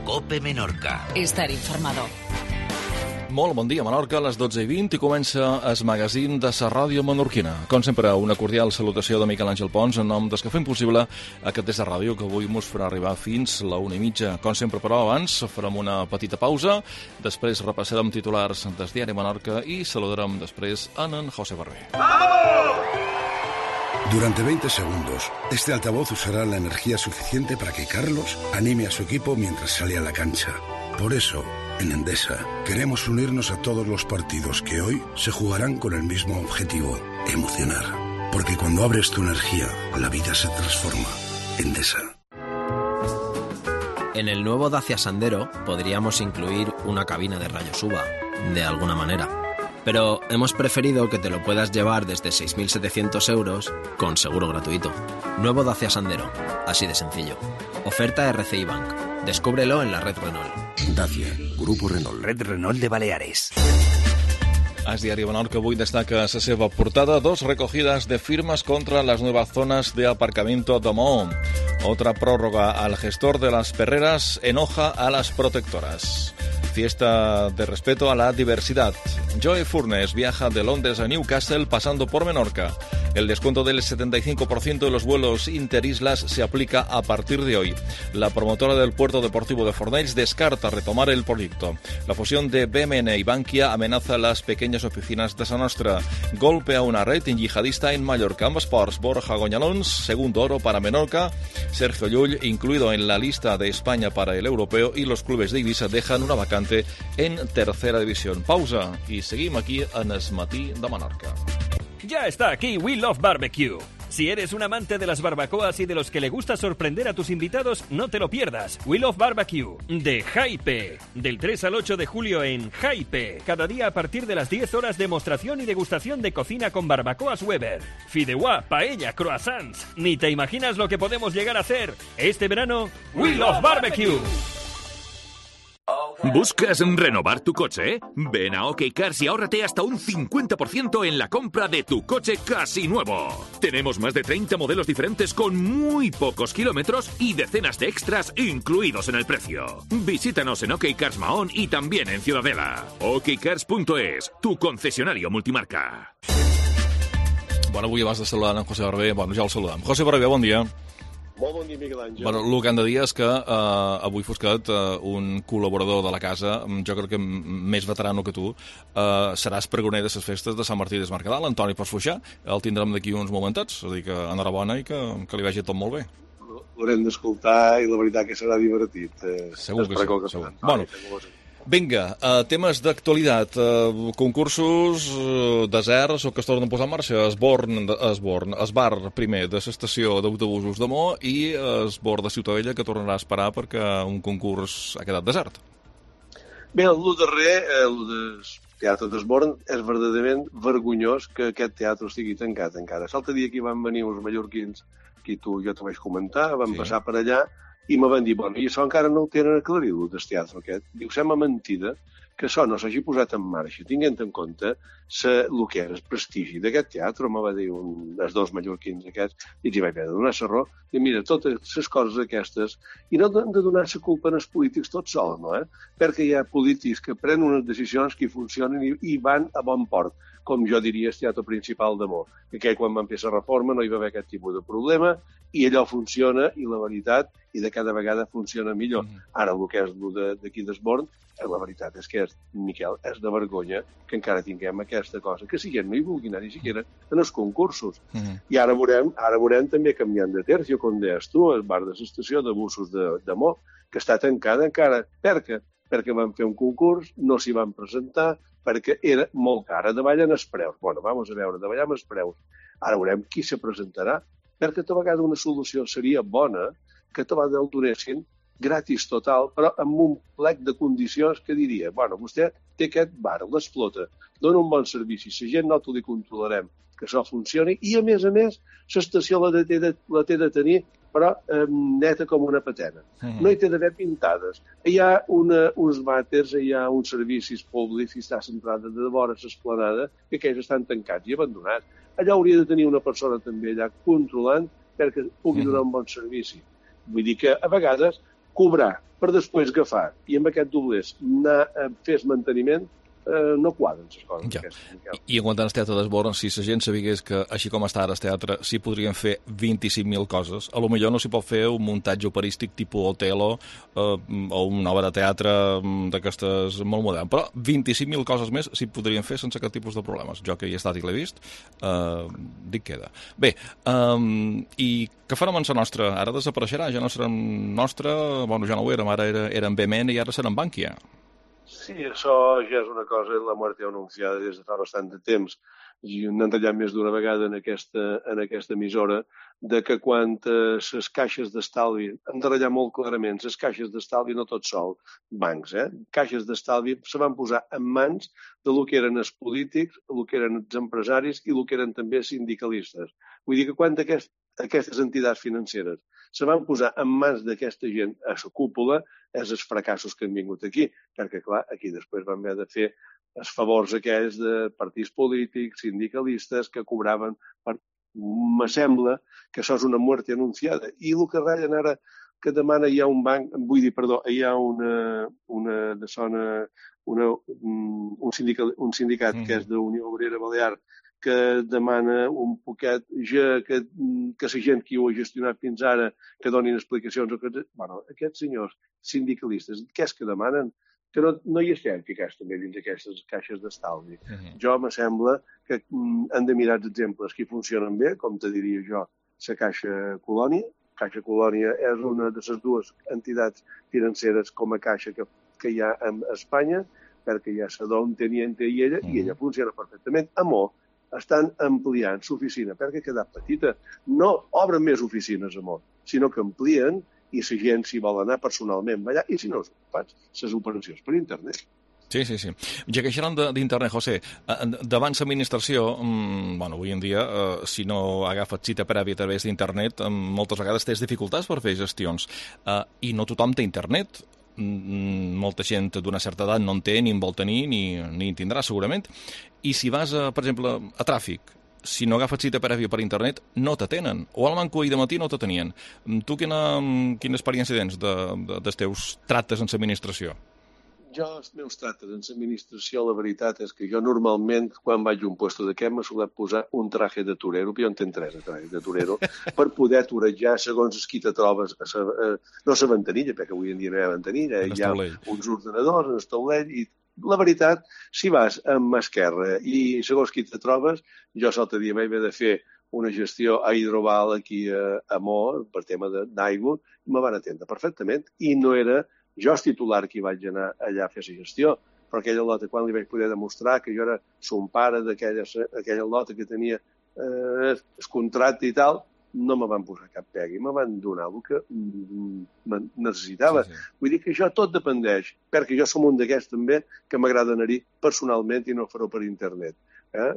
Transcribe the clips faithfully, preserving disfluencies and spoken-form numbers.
COPE Menorca. Estar informado. Molt bon dia, Menorca, a les dotze i vint i comença el magazín de la ràdio menorquina. Com sempre, una cordial salutació de Miquel Àngel Pons en nom dels que fem possible aquest des de ràdio que avui mos farà arribar fins la una i mitja. Com sempre, però, abans farem una petita pausa, després repassarem titulars del diari Menorca i saludarem després en en José Barber. Durante veinte segundos, este altavoz usará la energía suficiente para que Carlos anime a su equipo mientras sale a la cancha. Por eso, en Endesa, queremos unirnos a todos los partidos que hoy se jugarán con el mismo objetivo, emocionar. Porque cuando abres tu energía, la vida se transforma. Endesa. En el nuevo Dacia Sandero podríamos incluir una cabina de rayos U V A, de alguna manera. Pero hemos preferido que te lo puedas llevar desde seis mil setecientos euros con seguro gratuito. Nuevo Dacia Sandero, así de sencillo. Oferta R C I Bank. Descúbrelo en la red Renault. Dacia, Grupo Renault. Red Renault de Baleares. El diari Menorca avui destaca a la seva portada dos recogidas de firmas contra las nuevas zonas de aparcamiento de Maó. Otra prórroga al gestor de las perreras enoja a las protectoras. Fiesta de respeto a la diversidad. Joe Furnes viaja de Londres a Newcastle pasando por Menorca. El descuento del setenta y cinco por ciento de los vuelos interislas se aplica a partir de hoy. La promotora del puerto deportivo de Fornells descarta retomar el proyecto. La fusión de B M N y Bankia amenaza las pequeñas oficinas de Sa Nostra. Golpe a una red yihadista en Mallorca. Ambos Sports, Borja Goñalons, segundo oro para Menorca. Sergio Llull, incluido en la lista de España para el europeo, y los clubes de Ibiza dejan una vacante en tercera división. Pausa y seguimos aquí en el matí de Menorca. Ya está aquí We Love Barbecue. Si eres un amante de las barbacoas y de los que le gusta sorprender a tus invitados, no te lo pierdas. We Love Barbecue, de Jaipe. Del tres al ocho de julio en Jaipe. Cada día a partir de las diez horas, demostración y degustación de cocina con barbacoas Weber. Fideuá, paella, croissants. Ni te imaginas lo que podemos llegar a hacer. Este verano, We Love Barbecue. ¿Buscas renovar tu coche? Ven a OK Cars y ahórrate hasta un cincuenta por ciento en la compra de tu coche casi nuevo. Tenemos más de treinta modelos diferentes con muy pocos kilómetros y decenas de extras incluidos en el precio. Visítanos en OK Cars Mahón y también en Ciudadela. OK Cars punto es, tu concesionario multimarca. Bueno, avui abans de saludar en José Barber, bueno, ja el saludem. José Barber, bon dia. Molt bon dia, Miquel Àngel. Bueno, el que han de dir és que eh, avui Fosquet, eh, un col·laborador de la casa, jo crec que més veterano que tu, eh, seràs pregoner de les festes de Sant Martí des Mercadal, Antoni Pasfuixà. El tindrem d'aquí uns momentets, és a dir que enhorabona i que, que li vagi tot molt bé. L'haurem d'escoltar i la veritat que serà divertit. Eh, segur que sí, que segur. Bueno, vinga, uh, temes d'actualitat, uh, concursos, uh, deserts o que es tornen a posar en marxa. Esborn, Esborn, Esbar primer de l'estació d'autobusos de Mo i Esborn de Ciutadella que tornarà a esperar perquè un concurs ha quedat desert. Bé, el darrer, el del Teatre d'Esborn, és verdaderament vergonyós que aquest teatre estigui tancat encara. L'altre dia que hi van venir uns mallorquins, que tu jo t'ho vaig comentar, van sí. passar per allà i me van dir, bueno, i això encara no ho tenen aclarit, el del teatre aquest. Diu, sembla mentida que això no s'hagi posat en marxa, tinguent en compte se, el que era el prestigi d'aquest teatre, me va dir un dels dos mallorquins aquests, i els hi vaig haver de donar la raó, i mira, totes les coses aquestes, i no han de donar la culpa als polítics tots sols, no? Eh? Perquè hi ha polítics que prenen unes decisions que funcionen i, i van a bon port, com jo diria el teatre principal de Mo, que quan van fer la reforma no hi va haver aquest tipus de problema, i allò funciona, i la veritat, i de cada vegada funciona millor. Mm. Ara, el que és d'aquí d'Esborn, la veritat és que, és, Miquel, és de vergonya que encara tinguem aquesta cosa, que si gent no hi vulgui anar ni siquiera en els concursos. Mm. I ara veurem, ara veurem també canviant de tercio, com deies tu, el bar de l'estació de busos de, de Mo, que està tancada encara. Per què? Perquè van fer un concurs, no s'hi van presentar, perquè era molt cara, davallen els preus. Bueno, vamos a veure, davallem els preus. Ara veurem qui se presentarà, perquè a vegades una solució seria bona que te el donessin gratis total, però amb un plec de condicions que diria, bueno, vostè té aquest bar, l'explota, dona un bon servici, la gent no t'ho controlarem, que això funcioni, i a més a més, l'estació la, la té de tenir, però eh, neta com una patena. Mm. No hi té d'haver pintades. Hi ha una, uns vàters, hi ha uns servicis públics, i està centrada de vora l'esplanada, que aquells estan tancats i abandonats. Allà hauria de tenir una persona també allà controlant perquè pugui donar un bon servici. Vull dir que a vegades cobrar per després agafar i amb aquest doblers anar a fer manteniment, eh, no quadren les coses. Ja. Aquestes. I en quant al teatre d'Esborn, si la gent sabigués que, així com està ara el teatre, s'hi podrien fer vint-i-cinc mil coses, a lo millor no s'hi pot fer un muntatge operístic tipus Otelo eh, o una obra de teatre d'aquestes molt modern, però vint-i-cinc mil coses més s'hi podrien fer sense cap tipus de problemes. Jo que hi he estat i l'he vist, eh, dic queda. Bé, um, i què farem amb la nostra? Ara desapareixerà, ja no serà nostra, bueno, ja no ho érem, ara era, era en B M N i ara serà en Bankia. Sí, això ja és una cosa, la muerte anunciada des de fa bastant de temps, i n'han tallat més d'una vegada en aquesta, en aquesta emissora, de que quan les caixes d'estalvi, hem de ratllar molt clarament, les caixes d'estalvi no tot sol, bancs, eh? Caixes d'estalvi se van posar en mans de lo que eren els polítics, el que eren els empresaris i el que eren també sindicalistes. Vull dir que quan aquest, aquestes entitats financeres se van posar en mans d'aquesta gent a la cúpula, és els fracassos que han vingut aquí, perquè, clar, aquí després van haver de fer els favors aquells de partits polítics, sindicalistes, que cobraven per... Me sembla que això és una muerte anunciada. I el que ratllen ara, que demana hi ha un banc, vull dir, perdó, hi ha una, una de zona, una, un sindicat, un sindicat mm. que és d'Unió Obrera Balear, que demana un poquet ja que, que la gent que ho ha gestionat fins ara que donin explicacions. O que, bueno, aquests senyors sindicalistes, què és que demanen? Que no, no hi estem ficats també dins d'aquestes caixes d'estalvi. Uh-huh. Jo me sembla que mm, han de mirar els exemples que funcionen bé, com te diria jo, la Caixa Colònia. Caixa Colònia és una de les dues entitats financeres com a caixa que, que hi ha a Espanya, perquè ja sé d'on teniente i ella, uh-huh. i ella funciona perfectament. Amor, estan ampliant l'oficina perquè ha quedat petita. No obren més oficines, amor, sinó que amplien i la gent s'hi vol anar personalment allà, i si no, fas les operacions per internet. Sí, sí, sí. Ja que xerrant d'internet, José, davant l'administració, bueno, avui en dia, eh, si no agafes cita prèvia a través d'internet, moltes vegades tens dificultats per fer gestions. Eh, I no tothom té internet. Molta gent d'una certa edat no en té, ni en vol tenir, ni, ni en tindrà, segurament. I si vas, a, per exemple, a tràfic, si no agafes cita prèvia per internet, no t'atenen. O al Manco ahir de matí no t'atenien. Tu quina, quina experiència tens de, de, dels teus tractes en l'administració? Jo, els meus tractes en l'administració, la veritat és que jo normalment, quan vaig a un puesto d'aquest, m'he solet posar un traje de torero, però jo en tenc tres de traje de torero, per poder torejar segons es qui te trobes, a sa, a, no a la ventanilla, perquè avui en dia no hi ha ventanilla, hi ha uns ordenadors en el taulell, i la veritat, si vas amb esquerra i segons qui te trobes, jo l'altre dia m'he de fer una gestió a Hidroval aquí a, a Mo, per tema d'aigua, i me van atendre perfectament, i no era jo és titular que hi vaig anar allà a fer la gestió, però aquella lota, quan li vaig poder demostrar que jo era son pare d'aquella aquella lota que tenia eh, el contracte i tal, no me van posar cap pega i me van donar el que necessitava. Sí, sí. Vull dir que això tot dependeix, perquè jo som un d'aquests també que m'agrada anar-hi personalment i no fer-ho per internet. Eh?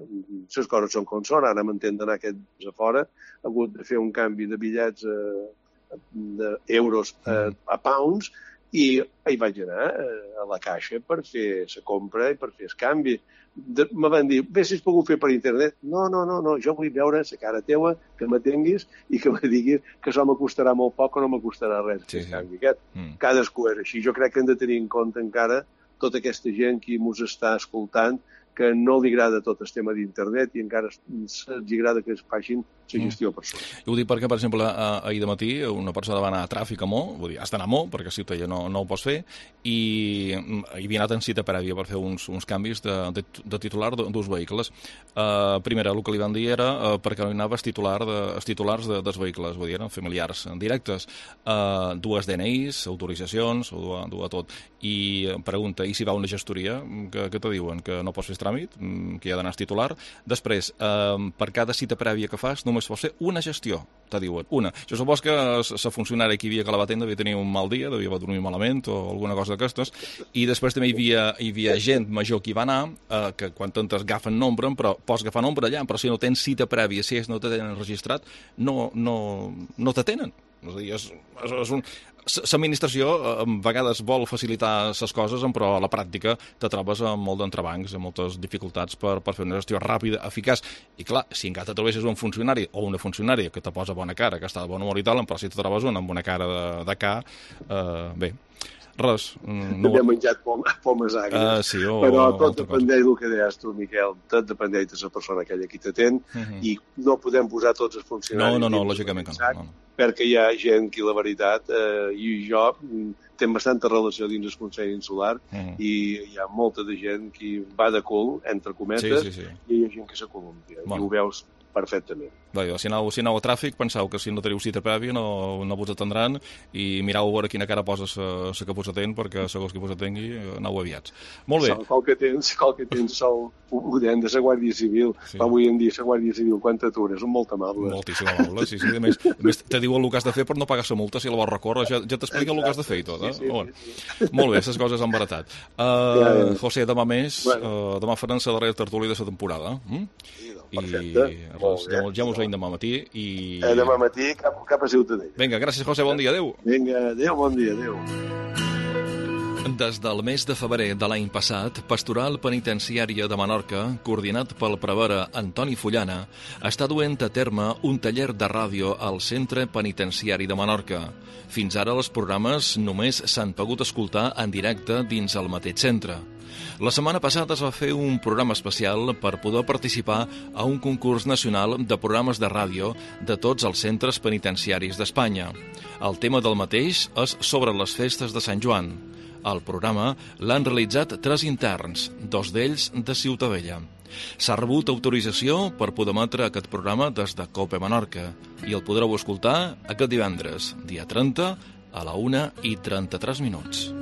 Les coses són com són, ara m'entén d'anar aquests a fora, he hagut de fer un canvi de bitllets eh, d'euros a, a pounds, i hi vaig anar a la caixa per fer la compra i per fer el canvi. De, me van dir, bé, si es pogut fer per internet. No, no, no, no, jo vull veure la cara teua, que m'atenguis i que me diguis que això m'acostarà molt poc o no m'acostarà res. Sí, sí. Canvi aquest. Mm. Cadascú és així. Jo crec que hem de tenir en compte encara tota aquesta gent que mos està escoltant, que no li agrada tot el tema d'internet i encara els agrada que es facin la gestió per sota. Jo ho dic perquè, per exemple, ahir de matí una persona va anar a tràfic a Mo, vull dir, has d'anar a Mo, perquè a Ciutadella no, no ho pots fer, i hi havia anat en cita prèvia per fer uns, uns canvis de, de, de titular d'uns vehicles. Uh, primera, el que li van dir era uh, perquè no hi anava els, titular de, els titulars de, dels vehicles, vull dir, eren familiars directes, uh, dues D N Is, autoritzacions, ho du, du a tot. I pregunta, i si va a una gestoria, que, que te diuen? Que no pots fer tràmit, que hi ha d'anar el titular. Després, uh, per cada cita prèvia que fas, només pots fer una gestió, te diuen, una. Jo supos que la funcionària que hi havia que la va atendre devia tenir un mal dia, devia dormir malament o alguna cosa d'aquestes, i després també hi havia, hi havia gent major que hi va anar, eh, que quan t'entres agafen nombre, però pots agafar nombre allà, però si no tens cita prèvia, si ells no t'atenen registrat, no, no, no t'atenen. És a dir, és, és, és un... L'administració a vegades vol facilitar les coses, però a la pràctica te trobes amb molt d'entrebancs, amb moltes dificultats per, per fer una gestió ràpida, eficaç. I clar, si encara te trobessis un funcionari o una funcionària que te posa bona cara, que està de bon humor i tal, però si te trobes un amb una cara de, de ca, eh, bé, res. No he menjat pom, pomes agres. Uh, sí, o, però tot o dependeix del que deies tu, Miquel, tot dependeix de la persona aquella que t'atén, uh -huh. i no podem posar tots els funcionaris... No, no, no, lògicament que no, no. Perquè hi ha gent que, la veritat, eh, i jo, tem bastanta relació dins el Consell Insular, uh -huh. i hi ha molta de gent que va de cul, entre cometes, sí, sí, sí. i hi ha gent que s'acolumpia, bueno. I ho veus perfectament. Bé, si aneu, si aneu a tràfic, penseu que si no teniu cita prèvia no, no vos atendran, i mireu a veure quina cara posa la que vos atén, perquè segons qui vos atengui aneu aviats. Molt bé. Qual que tens, qual que tens sol udent de la Guàrdia Civil, sí. Avui en dia la Guàrdia Civil, quan t'atures, són molt amables. Moltíssim amables, sí, sí. A més, a més te diuen el que has de fer per no pagar la multa, si la vols recórrer, ja, ja t'expliquen el que has de fer i tot, eh? Sí, sí, bueno. sí, sí. Molt bé, les coses han baratat. Uh, ja, ja. José, demà més, bueno. uh, demà faran la darrera tertúlia de la temporada. Mm? Sí, perfecte. I res, ja, ja mos veiem demà matí. I... Eh, demà matí cap, cap a Ciutadella. Vinga, gràcies, José, bon dia, adéu. Vinga, adéu, bon dia, adéu. Des del mes de febrer de l'any passat, Pastoral Penitenciària de Menorca, coordinat pel prevere Antoni Fullana, està duent a terme un taller de ràdio al Centre Penitenciari de Menorca. Fins ara els programes només s'han pogut escoltar en directe dins el mateix centre. La setmana passada es va fer un programa especial per poder participar a un concurs nacional de programes de ràdio de tots els centres penitenciaris d'Espanya. El tema del mateix és sobre les festes de Sant Joan. El programa l'han realitzat tres interns, dos d'ells de Ciutadella. S'ha rebut autorització per poder emetre aquest programa des de COPE Menorca i el podreu escoltar aquest divendres, dia trenta, a la una i trenta-tres minuts.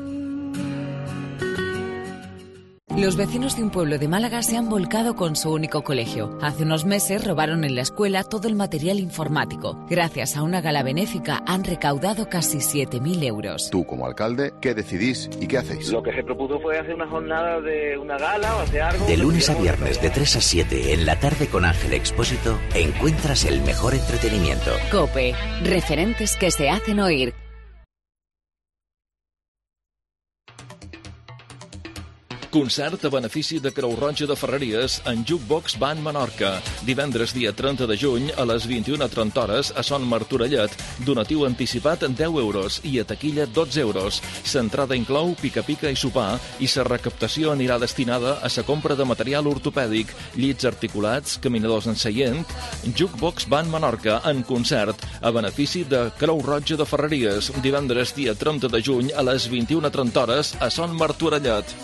Los vecinos de un pueblo de Málaga se han volcado con su único colegio. Hace unos meses robaron en la escuela todo el material informático. Gracias a una gala benéfica han recaudado casi siete mil euros. Tú, como alcalde, ¿qué decidís y qué hacéis? Lo que se propuso fue hacer una jornada de una gala o hacer algo... De lunes a viernes, de tres a siete, en la tarde con Ángel Expósito, encuentras el mejor entretenimiento. COPE, referentes que se hacen oír. Concert a benefici de Creu Roja de Ferreries en Jukebox Band Menorca. Divendres dia trenta de juny a les vint-i-una trenta hores a Son Martorellet. Donatiu anticipat deu euros i a taquilla dotze euros. L'entrada inclou pica-pica i sopar i la recaptació anirà destinada a la compra de material ortopèdic, llits articulats, caminadors en seient. Jukebox Band Menorca en concert a benefici de Creu Roja de Ferreries. Divendres dia trenta de juny a les vint-i-una trenta hores a Son Martorellet.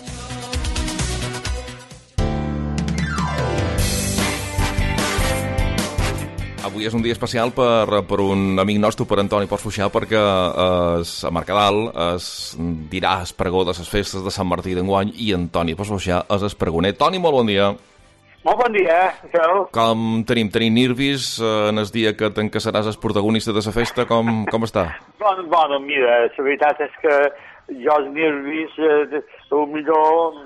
Avui és un dia especial per, per un amic nostre, per Antoni Portfuixà, perquè es, a Mercadal es dirà el pregó de les festes de Sant Martí d'enguany i Antoni Portfuixà és el pregoner. Toni, molt bon dia. Molt bon dia, Miquel. Com tenim? Tenim nervis en el dia que t'encaçaràs el protagonista de la festa? Com, com està? Bueno, bueno, mira, la veritat és que jo els nervis, eh, el millor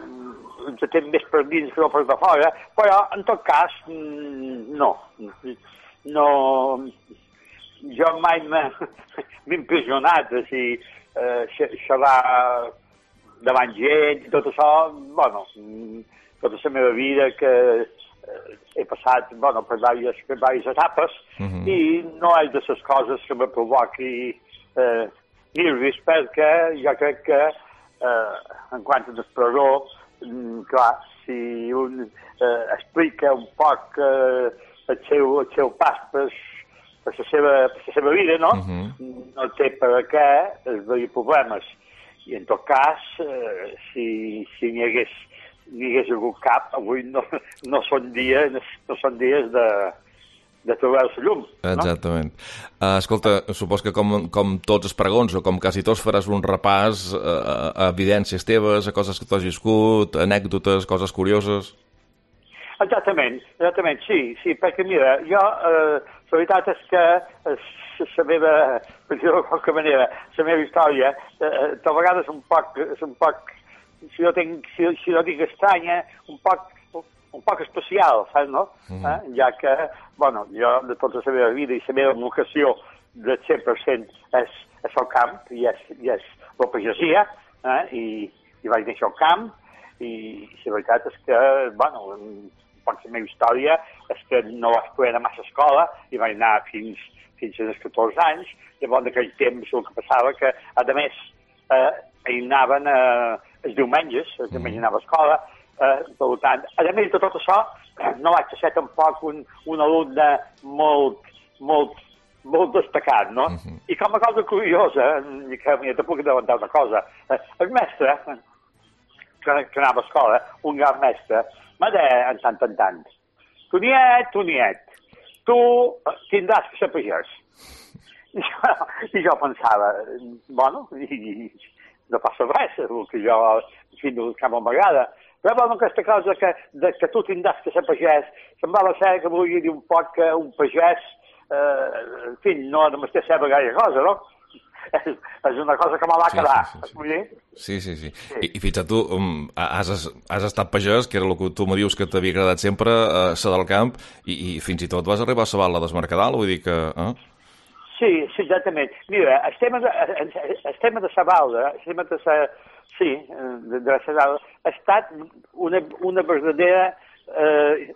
ens tenen més per dins que no per de fora, però en tot cas, no. No, jo mai m'he impressionat, o sigui, eh, xerrar davant gent i tot això, bueno, tota la meva vida que eh, he passat, bueno, per diverses, per diverses etapes, uh-huh. i no és de les coses que me provoqui eh, nervis, perquè jo crec que, eh, en quant a l'expressió, clar, si un eh, explica un poc eh, el seu, el seu pas per, per, la seva, per la seva vida, no? Uh-huh. No té per què haver problemes. I en tot cas, eh, si, si n'hi hagués, n'hi hagués algun cap, avui no, no són dies, no són dies de, de trobar la llum. No? Exactament. Uh, escolta, supos que com, com tots els pregons, o com quasi tots, faràs un repàs a, a evidències teves, a coses que t'has viscut, anècdotes, coses curioses... Exactament, exactament, sí, sí, perquè mira, jo, eh, la veritat és que la meva, per dir-ho de qualque manera, la meva història, eh, de vegades un poc, és un poc, si no, tinc, si, si no dic estranya, un poc, un poc especial, saps, no? Mm. Eh? Ja que, bueno, jo de tota la meva vida i la meva vocació del cent per cent és, és el camp i és, i és la pagesia, eh? I, i vaig néixer al camp i, i la veritat és que, bueno, per la meva història és que no vaig poder anar massa a escola i vaig anar fins, fins als catorze anys. Llavors, en aquell temps, el que passava que, a més, eh, hi anaven eh, els diumenges, els diumenges anava a escola, eh, per tant, a més de tot això, no vaig ser tampoc un, un alumne molt, molt, molt destacat, no? Uh -huh. I com a cosa curiosa, que m'hi puc avançar una cosa, eh, el mestre, que, que anava a escola, un gran mestre, m'ha deia en tant en tant, Toniet, Toniet, tu tindràs que ser pagès. I jo, i jo pensava, bueno, i, i no passa res, el que jo, en fi, no cap m'agrada. Però, bueno, aquesta cosa que, de, que tu tindràs que ser pagès, semblava ser que volia dir un poc que un pagès, eh, en fi, no només té saber gaire cosa, no? És, és una cosa que me va quedar. Sí, sí, sí. sí. sí. I, I fins a tu, um, has, has estat pagès, que era el que tu me dius que t'havia agradat sempre, a ser del camp, i, i fins i tot vas arribar a saber la desmercadal, vull dir que... Eh? Sí, sí, exactament. Mira, el tema de, el tema de Sabalda, el tema de sa, sí, de, de Sabalda, ha estat una, una verdadera... Eh,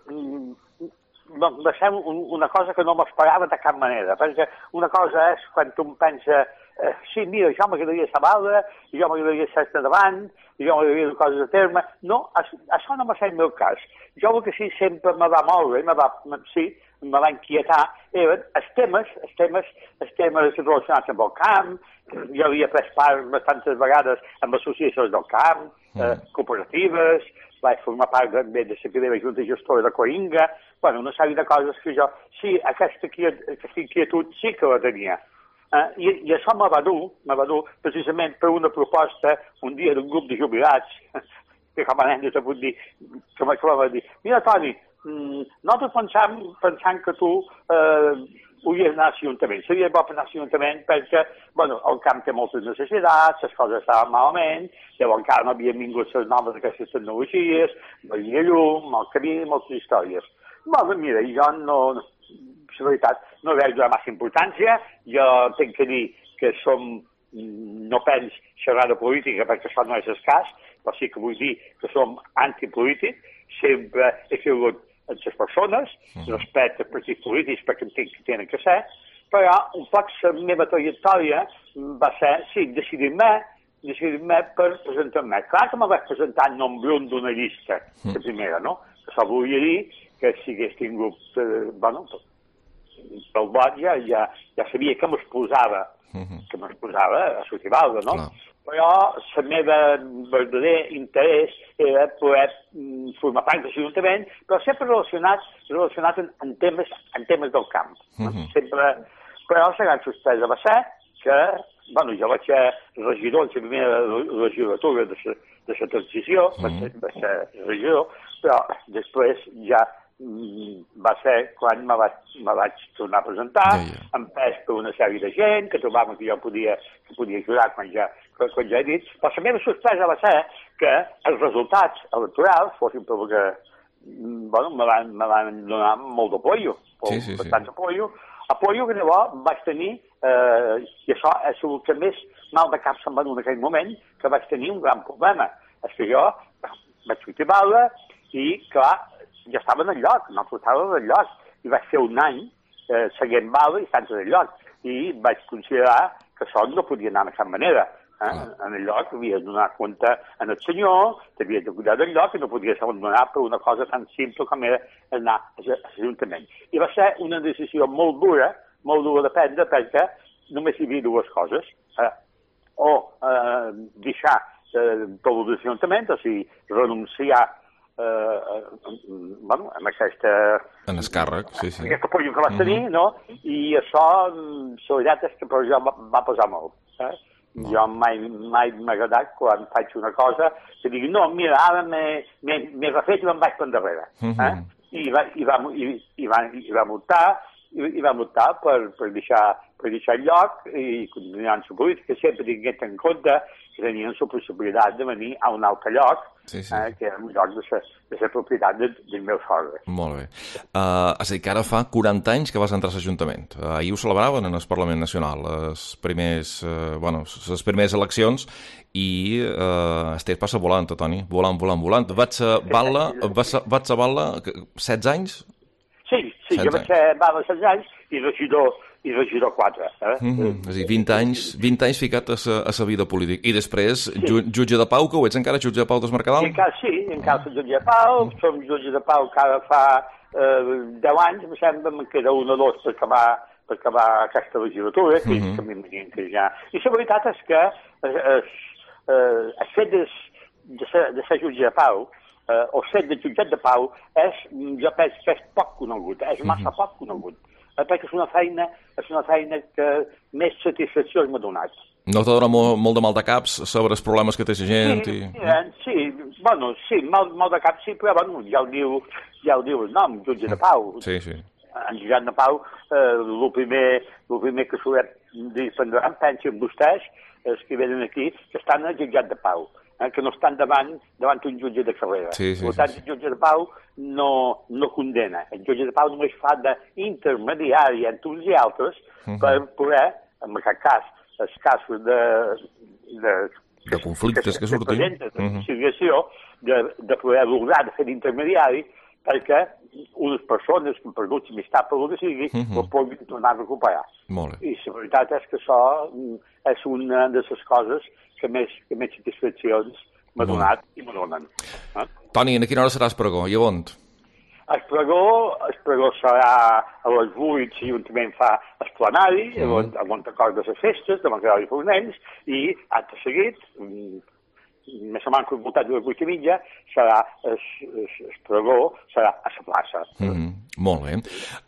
va ser una cosa que no m'esperava de cap manera, perquè una cosa és quan tu em pensa, eh, sí, mira, jo m'agradaria Sabalda, jo m'agradaria ser davant, jo m'agradaria coses de terme. No, això no va ser el meu cas. Jo el que sí sempre me va moure, me va, sí, me va inquietar, eren els temes, els temes, els temes relacionats amb el camp. Jo havia pres part bastantes vegades amb associacions del camp, eh, cooperatives, vaig formar part de, de la primera junta gestora de Coringa, bueno, una sèrie de coses que jo, sí, aquesta, aquesta inquietud sí que la tenia. Eh, i, I això me va dur, me va dur precisament per una proposta un dia d'un grup de jubilats, que com a nen te puc dir, que me va dir, mira, Toni, mm, nosaltres pensam, pensam que tu eh, hauries d'anar a l'Ajuntament. Seria bo per anar a l'Ajuntament perquè, bueno, el camp té moltes necessitats, les coses estaven malament, llavors encara no havien vingut les noves d'aquestes tecnologies, no hi havia llum, el camí, moltes històries. Bueno, mira, jo no, la veritat, no veig de massa importància, jo tinc que dir que som, no pens xerrar de política perquè això no és el cas, però sí que vull dir que som antipolítics, sempre he sigut en les persones, respecte als partits polítics perquè entenc que tenen que ser, però un poc la meva trajectòria va ser, sí, decidir-me, decidir-me per presentar-me. Clar que me vaig presentar en nom brun d'una llista, la primera, no? Que això volia dir que si hagués tingut, eh, bueno, pel vot ja, ja, ja sabia que m'exposava, que m'exposava a Sotibalda, no? Clar. Però el meu verdader interès era poder formar part de l'Ajuntament, però sempre relacionat, relacionat en, en, temes, en temes del camp. Uh -huh. Sempre, però la gran sorpresa va ser que, bueno, jo vaig ser regidor en la primera legislatura de la, de la transició, uh -huh. vaig, ser, vaig ser regidor, però després ja va ser quan me vaig, me vaig tornar a presentar, yeah, yeah. empès per una sèrie de gent que trobaven que jo podia, que podia ajudar quan ja, quan ja he dit. Però la meva sorpresa va ser que els resultats electorals fossin per que, bueno, me van, me van donar molt d'apoio, sí, sí, bastant sí. apoio, apoio que llavors vaig tenir, eh, i això és el que més mal de cap se'm va dur en aquell moment, que vaig tenir un gran problema. És que jo vaig sortir a Balda i, clar, ja estava en el lloc, no estava en el lloc, i vaig fer un any eh, seguint Balda i sense el lloc, i vaig considerar que això no podia anar de cap manera. Eh? Ah. En el lloc havies de donar compte en el senyor, t'havies de cuidar del lloc i no podies abandonar per una cosa tan simple com era anar a l'Ajuntament. I va ser una decisió molt dura, molt dura de prendre, perquè només hi havia dues coses. Eh? O eh, deixar eh, tot l'Ajuntament, o sigui, renunciar Uh, uh, bueno, amb aquesta... En el càrrec, sí, sí. Aquest apoyo que vas tenir, uh -huh. no? I això, la veritat és que per jo va, va posar molt. Eh? No. Jo mai mai m'ha agradat quan faig una cosa que digui, no, mira, ara m'he refet i me'n vaig per endarrere. Uh -huh. eh? I, va, i, va, i, i, va, i va optar, i, i va optar per, per, deixar, per deixar el lloc i continuar en la política, sempre tinguent en compte que tenien la possibilitat de venir a un altre lloc, sí, sí. Eh, que era un lloc de la, de la propietat de, del meu sogre. Molt bé. Uh, és a dir, que ara fa quaranta anys que vas entrar a l'Ajuntament. Uh, ahir ho celebraven en el Parlament Nacional, les primers, uh, bueno, les primeres eleccions, i uh, el temps passa volant, Toni, volant, volant, volant. Vaig a Batla, vaig a, vaig a Batla, setze anys? Sí, sí, jo vaig ser Batla setze anys i regidor, i regidor quatre. Eh? Mm-hmm. És a dir, vint anys, vint anys ficat a sa, a sa vida política. I després, sí. ju, jutge de pau, que ho ets encara, jutge de pau del Mercadal? Encara, sí, encara soc jutge de pau, som jutge de pau cada fa eh, deu anys, em sembla, me'n queda un o dos per acabar, per acabar aquesta legislatura, que, mm-hmm. que m'imagino que ja... I la veritat és que eh, eh, el fet de, de, ser, de ser jutge de pau, eh, o set de jutjat de pau, és, jo penso que és poc conegut, és massa mm-hmm. poc conegut, eh, perquè és una feina, és una feina que més satisfacció m'ha donat. No t'ha donat molt, molt de mal de caps sobre els problemes que té la gent? Sí, i... sí, sí, bueno, sí, mal, mal de cap sí, però bueno, ja ho diu, ja ho diu el nom, jutge de pau. Sí, sí. En jutjat de pau, eh, el primer, el primer que solem dir, prendran, pensen vostès, els que venen aquí, que estan al jutjat de pau, eh, que no estan davant, davant un jutge de carrera. Sí, sí, per tant, sí, sí. el jutge de pau no, no condena. El jutge de pau només fa d'intermediari entre uns i altres uh-huh. per poder, en aquest cas, els casos de... de, de conflictes que, que surtin. De conciliació, uh-huh. de, de poder lograr de fer d'intermediari perquè unes persones que han perdut l'amistat per el que sigui, uh-huh. ho puguin tornar a recuperar. Molt bé. I la veritat és que això és una de les coses que més, que més satisfaccions m'ha donat i m'ha donen. Eh? Toni, a quina hora seràs pregó? I a on? El pregó, el pregó serà a les vuit, l'Ajuntament fa esplanari, mm. a Montacord de les festes, de Montreal i Fornells, i, acte seguit, més o menys al voltant de les vuit i mitja, serà el, el, el pregó, serà a la plaça. Mm. Molt bé.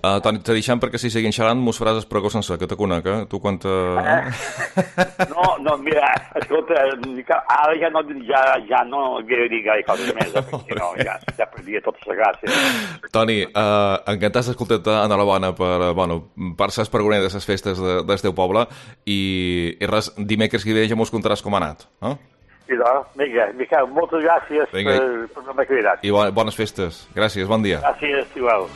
Uh, Toni, te deixem perquè si seguim xerrant mos faràs el pregó sencer, que te conec, eh? Tu quan te... Eh? No, no, mira, escolta, ara ja no, ja, ja no havia de dir gaire coses més, eh? Perquè no, ja, ja perdia tota la gràcia. Toni, uh, encantat d'escoltar-te, enhorabona per, bueno, per ser pregoner de les festes de, del teu poble i, i res, dimecres que ve ja mos contaràs com ha anat, eh? I doncs, vinga, Miquel, moltes gràcies vinga. per, per la meva cridat. I bones festes. Gràcies, bon dia. Gràcies, igual.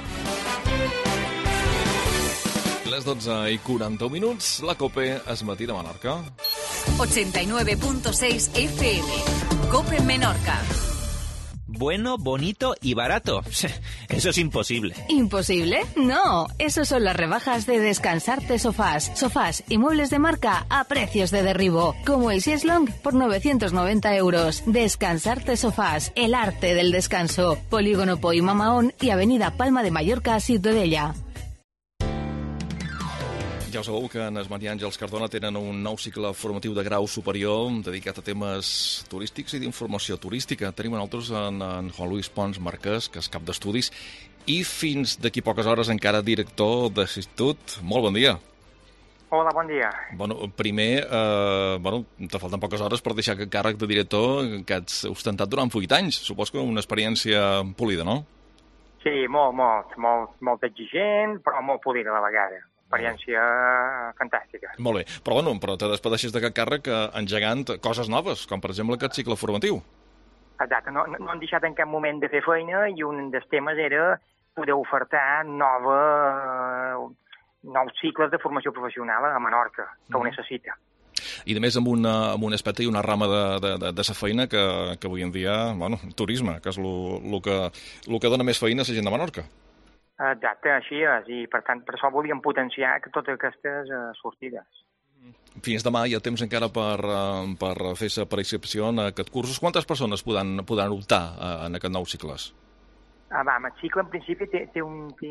Les dotze i quaranta minuts, la COPE es matí de Menorca. ochenta y nueve punto seis F M. COPE Menorca. Bueno, bonito y barato. Eso es imposible. ¿Imposible? No, eso son las rebajas de Descansarte Sofás. Sofás y muebles de marca a precios de derribo. Como el Sieslong por novecientos noventa euros. Descansarte Sofás, el arte del descanso. Polígono Poi Mamaón y Avenida Palma de Mallorca a Ciutadella. Ja ho sabeu que en el Maria Àngels Cardona tenen un nou cicle formatiu de grau superior dedicat a temes turístics i d'informació turística. Tenim nosaltres en, en Juan Luis Pons Marquès, que és cap d'estudis, i fins d'aquí poques hores encara director de l'Institut. Molt bon dia. Hola, bon dia. Bueno, primer, eh, bueno, te falten poques hores per deixar aquest càrrec de director que has ostentat durant vuit anys. Supos que una experiència polida, no? Sí, molt, molt, molt, molt exigent, però molt polida a la vegada. Experiència fantàstica. Molt bé, però bueno, però te despedeixes d'aquest càrrec engegant coses noves, com per exemple aquest cicle formatiu. Exacte, no, no hem deixat en cap moment de fer feina i un dels temes era poder ofertar nova, nous cicles de formació professional a Menorca, que ho necessita. I a més amb, una, amb un aspecte i una rama de, de, de, de sa feina que, que avui en dia, bueno, turisme, que és el que, lo que dona més feina a la gent de Menorca. Exacte, així és, i per tant per això volíem potenciar totes aquestes uh, sortides. Fins demà hi ha temps encara per, uh, per fer la preinscripció en aquest curs. Quantes persones podran, podran optar uh, en aquest nou cicles? Ah, va, el cicle en principi té, té, un, té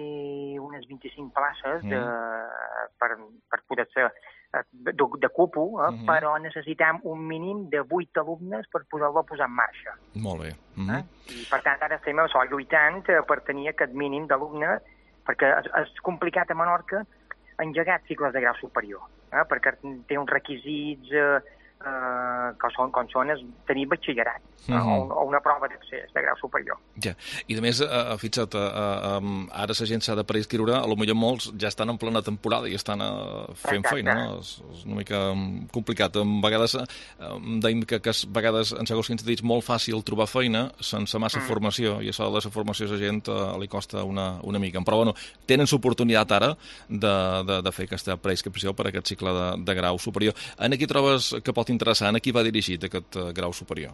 unes vint-i-cinc places de, mm. per, per poder ser de, de cupo, eh, mm-hmm. però necessitem un mínim de vuit alumnes per poder-lo posar en marxa. Molt bé. Mm-hmm. eh? I per tant ara estem això, lluitant per tenir aquest mínim d'alumnes, perquè és, és complicat a Menorca engegar cicles de grau superior, eh? perquè té uns requisits eh, eh, que són, com són és tenir batxillerat uh -huh. o, o una prova d'accés de grau superior. Ja, i a més, eh, fixa't, eh, eh, ara la gent s'ha de prescriure, a lo millor molts ja estan en plena temporada i estan eh, fent Exacte. feina, no? És, és una mica complicat. A vegades, eh, deim que, que a vegades, en segons quins sentits, molt fàcil trobar feina sense massa mm. formació, i això de la formació a la gent eh, li costa una, una mica. Però, bueno, tenen l'oportunitat ara de, de, de fer aquesta preinscripció per a aquest cicle de, de grau superior. En aquí trobes que pot interessar? En qui va dirigit aquest uh, grau superior?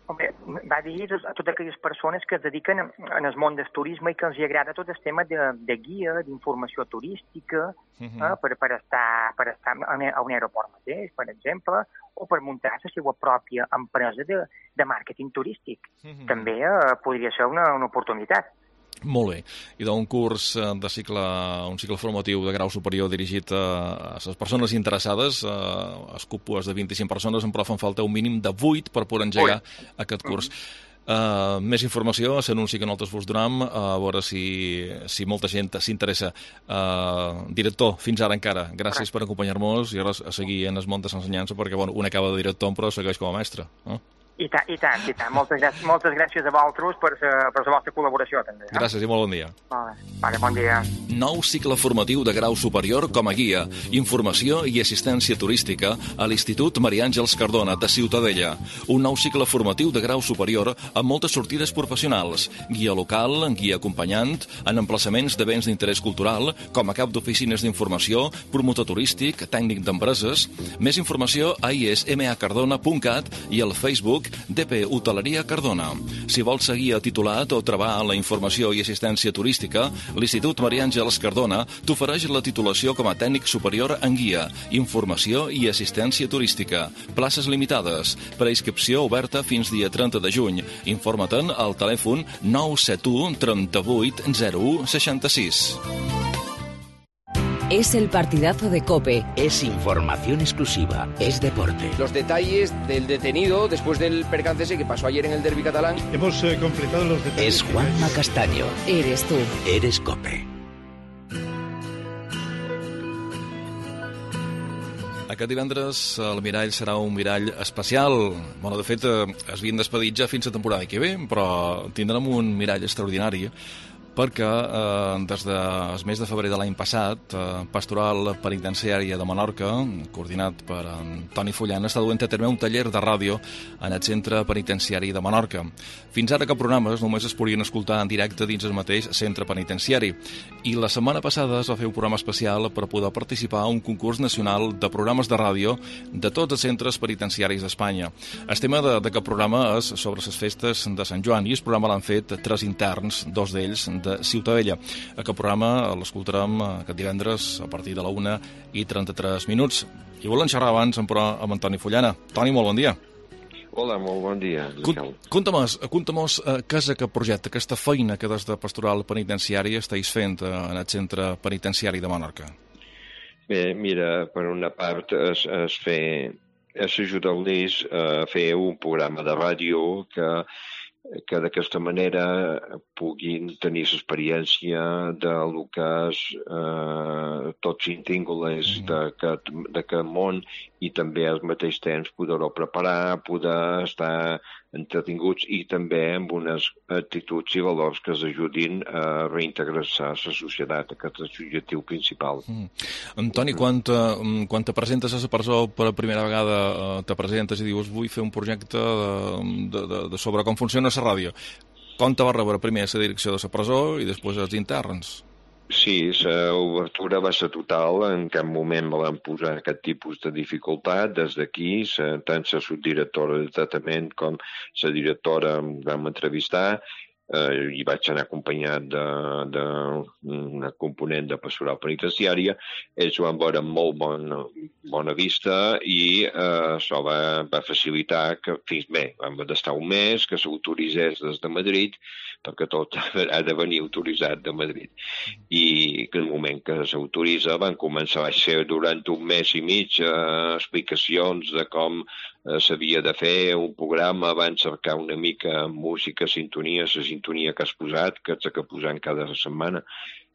Home, va dirigit a totes aquelles persones que es dediquen en el món del turisme i que els agrada tot el tema de, de guia, d'informació turística, uh-huh. eh, per, per estar, per estar a un aeroport mateix, per exemple, o per muntar la seva pròpia empresa de, de màrqueting turístic. Uh-huh. També eh, podria ser una, una oportunitat. Molt bé. I d'un curs de cicle, un cicle formatiu de grau superior dirigit a, a les persones interessades, a, a cúpules de vint-i-cinc persones, en prof en falta un mínim de vuit per poder engegar Ui. aquest curs. Uh, més informació, s'anunci que nosaltres vos donem, uh, a veure si, si molta gent s'interessa. Uh, director, fins ara encara, gràcies per acompanyar-nos i ara a seguir en el món de l'ensenyança, perquè bueno, un acaba de director però segueix com a mestre. Eh? I tant, i tant, i tant. Moltes gràcies, moltes gràcies a vosaltres per, per la vostra col·laboració, també. Eh? Gràcies i molt bon dia. Vale, vale, bon dia. Nou cicle formatiu de grau superior com a guia, informació i assistència turística a l'Institut Maria Àngels Cardona de Ciutadella. Un nou cicle formatiu de grau superior amb moltes sortides professionals, guia local, guia acompanyant, en emplaçaments de béns d'interès cultural, com a cap d'oficines d'informació, promotor turístic, tècnic d'empreses. Més informació a i s m a cardona punt cat i al Facebook D P Hoteleria Cardona. Si vols seguir a titulat o trobar la informació i assistència turística, l'Institut Maria Àngels Cardona t'ofereix la titulació com a tècnic superior en guia, informació i assistència turística. Places limitades. Preinscripció oberta fins dia trenta de juny. Informa-te'n al telèfon nou set u trenta-vuit zero u seixanta-sis. Es el partidazo de COPE. Es información exclusiva. Es deporte. Los detalles del detenido después del percance ese que pasó ayer en el derbi catalán. Hemos eh, completado los detalles. Es Juanma Castaño. Eres tú. Eres COPE. Aquest divendres el mirall serà un mirall especial. Bueno, de fet, es havien despedit ja fins a temporada que ve, però tindrem un mirall extraordinari perquè eh, des del mes de febrer de l'any passat, eh, Pastoral Penitenciària de Menorca, coordinat per Toni Fullan, està duent a terme un taller de ràdio en el Centre Penitenciari de Menorca. Fins ara que programes només es podien escoltar en directe dins el mateix centre penitenciari. I la setmana passada es va fer un programa especial per poder participar a un concurs nacional de programes de ràdio de tots els centres penitenciaris d'Espanya. El tema d'aquest programa és sobre les festes de Sant Joan i el programa l'han fet tres interns, dos d'ells de Ciutadella. Aquest programa l'escoltarem aquest divendres a partir de la una i trenta-tres minuts. I volem xerrar abans però amb en Toni Fullana. Toni, molt bon dia. Hola, molt bon dia. Conta'm-nos uh, què és aquest projecte, aquesta feina que des de Pastoral Penitenciari estàs fent uh, en el Centre Penitenciari de Menorca. Bé, mira, per una part es, es fer, es ajudar-los a fer un programa de ràdio que que d'aquesta manera puguin tenir l'experiència del que és eh, tots íntingles d'aquest món i també al mateix temps poder-ho preparar, poder estar entretinguts i també amb unes actituds i valors que els ajudin a reintegrar-se a la societat. Aquest és l'objectiu principal. Mm. Antoni, quan te, quan te presentes a la presó per primera vegada, eh, te presentes i dius vull fer un projecte de, de, de, de sobre com funciona la ràdio. Com te va rebre primer la direcció de la presó i després els interns? Sí, l'obertura va ser total. En cap moment me van posar aquest tipus de dificultat. Des d'aquí, tant la subdirectora de tractament com la directora em vam entrevistar eh, i vaig anar acompanyat d'una component de pastoral penitenciària. Ells ho van veure amb molt bona, bona vista i eh, això va, va facilitar que fins bé, vam d'estar un mes, que s'autoritzés des de Madrid, perquè tot ha de venir autoritzat de Madrid. I que en el moment que s'autoritza van començar a ser durant un mes i mig eh, explicacions de com eh, s'havia de fer un programa, van cercar una mica música, sintonia, la sintonia que has posat, que ets que posant cada setmana,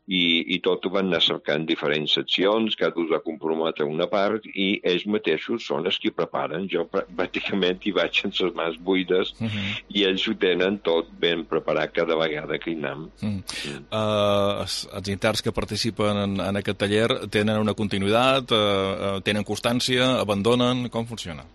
i, i tot ho van anar cercant diferents seccions, cada us va comprometre una part i ells mateixos són els que preparen. Jo pràcticament hi vaig amb les mans buides uh -huh. i ells ho tenen tot ben preparat cada vegada que hi anem. Uh -huh. mm. uh, els, els interns que participen en, en aquest taller tenen una continuïtat, uh, uh, tenen constància, abandonen, com funciona?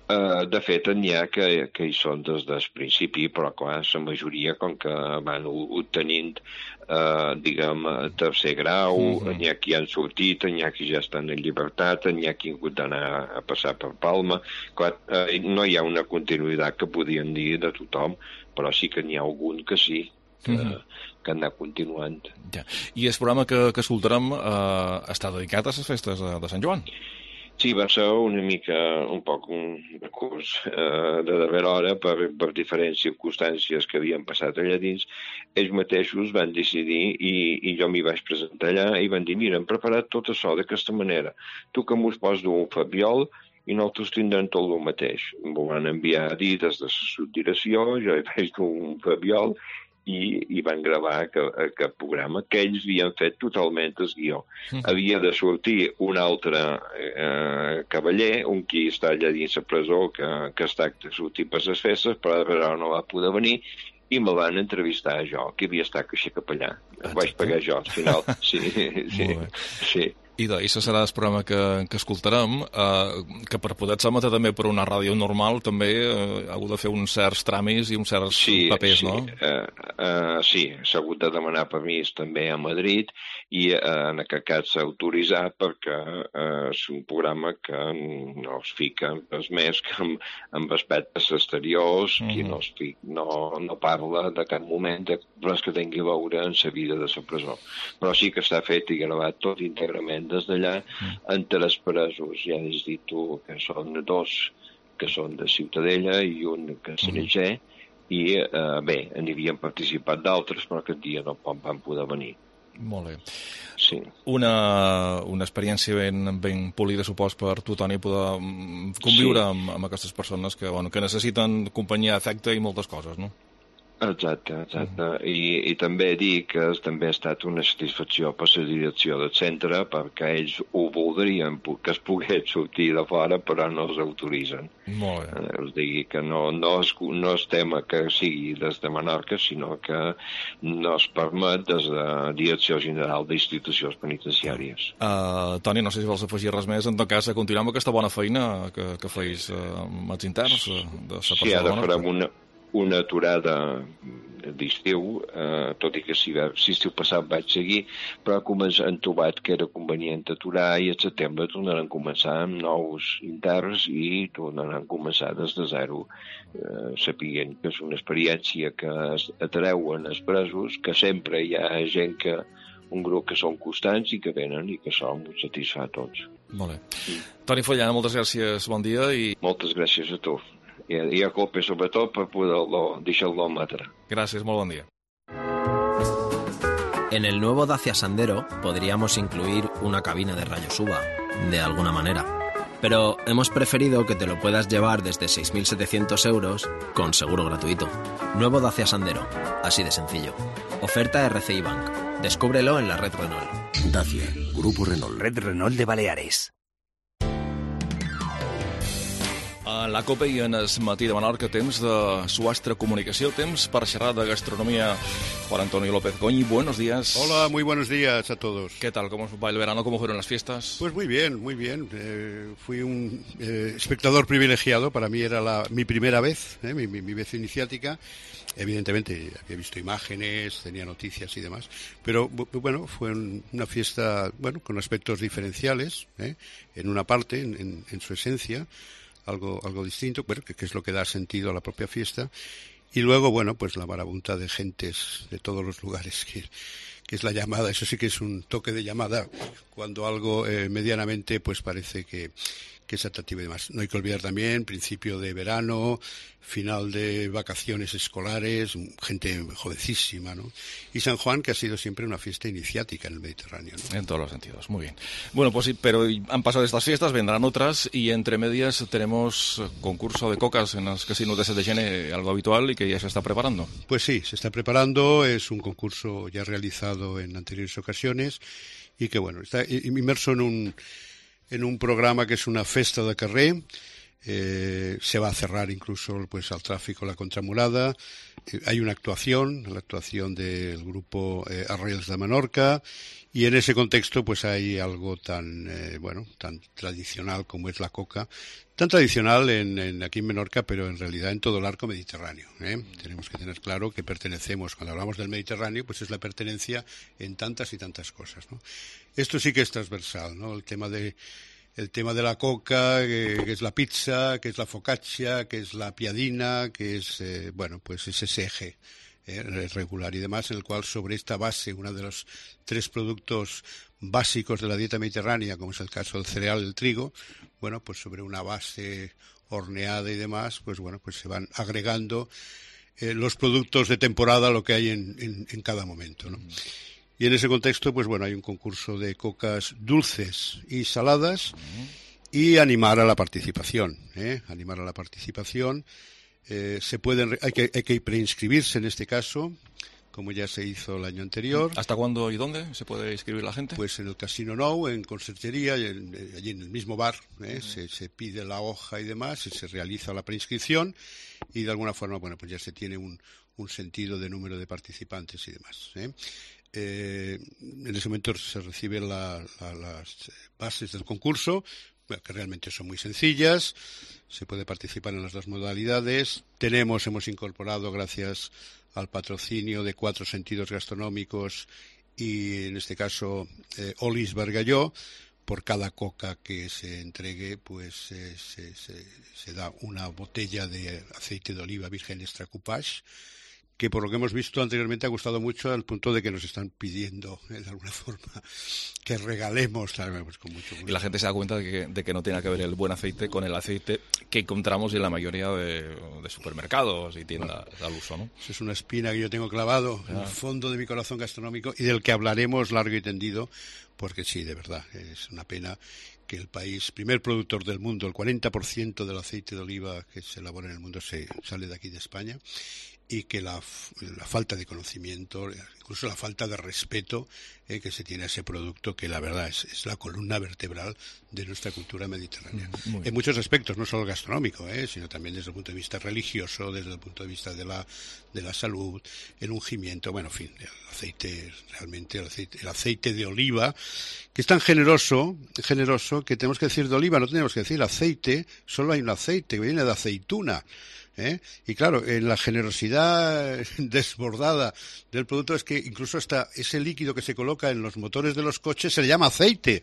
Uh, de fet, n'hi ha que, que hi són des del principi, però clar, la majoria, com que van obtenint, uh, diguem, tercer grau, mm-hmm. n'hi ha qui han sortit, n'hi ha qui ja estan en llibertat, n'hi ha qui han hagut d'anar a passar per Palma. Clar, uh, no hi ha una continuïtat que podien dir de tothom, però sí que n'hi ha algun que sí, que, mm-hmm. que han anat continuant. Ja. I el programa que, que escoltarem uh, està dedicat a les festes de, de Sant Joan? Sí, va ser una mica, un poc un curs eh, de darrera hora per, per diferents circumstàncies que havien passat allà dins. Ells mateixos van decidir, i, i jo m'hi vaig presentar allà, i van dir, mira, hem preparat tot això d'aquesta manera. Tu que mos pos d'un fabiol i nosaltres tindrem tot el mateix. M'ho van enviar a dir des de la subdirecció, jo hi vaig d'un fabiol, i, i van gravar aquest, aquest programa que ells havien fet totalment el guió. Mm. Havia de sortir un altre eh, cavaller, un qui està allà dins la presó, que, que està de sortir per les festes, però no va poder venir, i me van entrevistar jo, que havia estat així cap allà. Ho vaig pagar jo, al final. Sí, sí, sí. I de, això serà el programa que, que escoltarem, eh, que per poder s'emetre també per una ràdio normal també eh, ha hagut de fer uns certs tràmits i uns certs sí, papers, sí. no? Uh, uh, sí, s'ha hagut de demanar permís també a Madrid i uh, en aquest cas s'ha autoritzat perquè uh, és un programa que no es fica res més que amb, amb aspectes exteriors, uh-huh. que no, es fica, no, no parla de cap moment de res que tingui a veure en la vida de la presó. Però sí que està fet i gravat tot íntegrament des d'allà, mm. entre els presos, ja has dit tu, que són dos que són de Ciutadella i un que és Cereger, mm. i eh, bé, n'hi havien participat d'altres, però aquest dia no van poder venir. Molt bé. Sí. Una, una experiència ben, ben polida, supos, per tu, Toni, poder conviure sí. amb, amb aquestes persones que, bueno, que necessiten companyia, afecte i moltes coses, no? Exacte, exacte. Mm. I, i també dir que també ha estat una satisfacció per la direcció del centre perquè ells ho voldrien que es pogués sortir de fora però no els autoritzen. Molt bé. Eh, us digui que no, no, és, no és tema que sigui des de Menorca, sinó que no es permet des de Direcció General d'Institucions Penitenciàries. Uh, Toni, no sé si vols afegir res més. En tot cas, continuem amb aquesta bona feina que, que feis uh, amb els interns uh, de la Sí, ara farem una una aturada d'estiu, eh, tot i que si, si estiu passat vaig seguir, però han trobat que era convenient aturar i al setembre tornaran a començar amb nous interns i tornaran a començar des de zero, eh, sapiguent que és una experiència que atreuen els presos, que sempre hi ha gent que un grup que són constants i que venen i que som satisfà a tots. Molt bé. Mm. Toni Follana, moltes gràcies, bon dia. I... Moltes gràcies a tu. Y a Cope, sobre todo, para poderlo dejarlo matar. Gracias, muy buen día. En el nuevo Dacia Sandero podríamos incluir una cabina de rayos U V A, de alguna manera. Pero hemos preferido que te lo puedas llevar desde seis mil setecientos euros con seguro gratuito. Nuevo Dacia Sandero, así de sencillo. Oferta R C I Bank. Descúbrelo en la red Renault. Dacia, Grupo Renault. Red Renault de Baleares. A la COPE i en el matí de Menorca, temps de Suastre Comunicació, temps per xerrar de gastronomía. Juan Antonio López Goñi, buenos días. Hola, muy buenos días a todos. ¿Qué tal? ¿Cómo va el verano? ¿Cómo fueron las fiestas? Pues muy bien, muy bien. Eh, fui un eh, espectador privilegiado, para mí era la, mi primera vez, eh, mi, mi, mi vez iniciática. Evidentemente había visto imágenes, tenía noticias y demás, pero bueno, fue una fiesta bueno con aspectos diferenciales, eh, en una parte, en, en, en su esencia, algo algo distinto, bueno, que, que es lo que da sentido a la propia fiesta, y luego, bueno, pues la marabunta de gentes de todos los lugares, que, que es la llamada, eso sí que es un toque de llamada, cuando algo eh, medianamente, pues parece que, que es atractivo y demás. No hay que olvidar también principio de verano, final de vacaciones escolares, gente jovencísima, ¿no? Y San Juan, que ha sido siempre una fiesta iniciática en el Mediterráneo, ¿no? En todos los sentidos, muy bien. Bueno, pues sí, pero han pasado estas fiestas, vendrán otras, y entre medias tenemos concurso de cocas en los casinos de Saint-Etienne, algo habitual y que ya se está preparando. Pues sí, se está preparando, es un concurso ya realizado en anteriores ocasiones y que, bueno, está inmerso en un, en un programa que es una festa de carrer. Eh, se va a cerrar incluso pues al tráfico la contramurada. Eh, hay una actuación, la actuación del grupo eh, Arrels de Menorca, y en ese contexto pues hay algo tan eh, bueno tan tradicional como es la coca, tan tradicional en, en aquí en Menorca, pero en realidad en todo el arco mediterráneo, ¿eh? Tenemos que tener claro que pertenecemos, cuando hablamos del Mediterráneo, pues es la pertenencia en tantas y tantas cosas, ¿no? Esto sí que es transversal, ¿no? El tema de El tema de la coca, que, que es la pizza, que es la focaccia, que es la piadina, que es, eh, bueno, pues es ese eje eh, regular y demás, en el cual sobre esta base, uno de los tres productos básicos de la dieta mediterránea, como es el caso del cereal, el trigo, bueno, pues sobre una base horneada y demás, pues bueno, pues se van agregando eh, los productos de temporada, lo que hay en, en, en cada momento, ¿no? Y en ese contexto, pues bueno, hay un concurso de cocas dulces y saladas y animar a la participación, ¿eh? Animar a la participación. Eh, se pueden, hay que, hay que preinscribirse en este caso, como ya se hizo el año anterior. ¿Hasta cuándo y dónde se puede inscribir la gente? Pues en el Casino Nou, en Conserjería, allí en el mismo bar, ¿eh? Uh-huh. se, se pide la hoja y demás, y se realiza la preinscripción, y de alguna forma, bueno, pues ya se tiene un, un sentido de número de participantes y demás, ¿eh? Eh, en ese momento se reciben la, la, las bases del concurso, bueno, que realmente son muy sencillas. Se puede participar en las dos modalidades. Tenemos, hemos incorporado, gracias al patrocinio de Cuatro Sentidos Gastronómicos y, en este caso, eh, Olis Bargalló, por cada coca que se entregue, pues eh, se, se, se da una botella de aceite de oliva virgen extra coupage, que por lo que hemos visto anteriormente ha gustado mucho, al punto de que nos están pidiendo, eh, de alguna forma, que regalemos, pues con mucho gusto. Y la gente se da cuenta de que, de que no tiene que ver el buen aceite con el aceite que encontramos en la mayoría de, de supermercados y tiendas al uso, ¿no? Eso es una espina que yo tengo clavado ah. en el fondo de mi corazón gastronómico y del que hablaremos largo y tendido, porque sí, de verdad, es una pena que el país, primer productor del mundo, el cuarenta por ciento del aceite de oliva que se elabora en el mundo se sale de aquí de España, y que la, la falta de conocimiento, incluso la falta de respeto eh, que se tiene a ese producto, que la verdad es, es la columna vertebral de nuestra cultura mediterránea. En muchos aspectos, no solo gastronómico, eh, sino también desde el punto de vista religioso, desde el punto de vista de la, de la salud, el ungimiento, bueno, en fin, el aceite, realmente el aceite, el aceite de oliva, que es tan generoso, generoso, que tenemos que decir de oliva, no tenemos que decir aceite, solo hay un aceite que viene de aceituna. ¿Eh? Y claro, en la generosidad desbordada del producto es que incluso hasta ese líquido que se coloca en los motores de los coches se le llama aceite,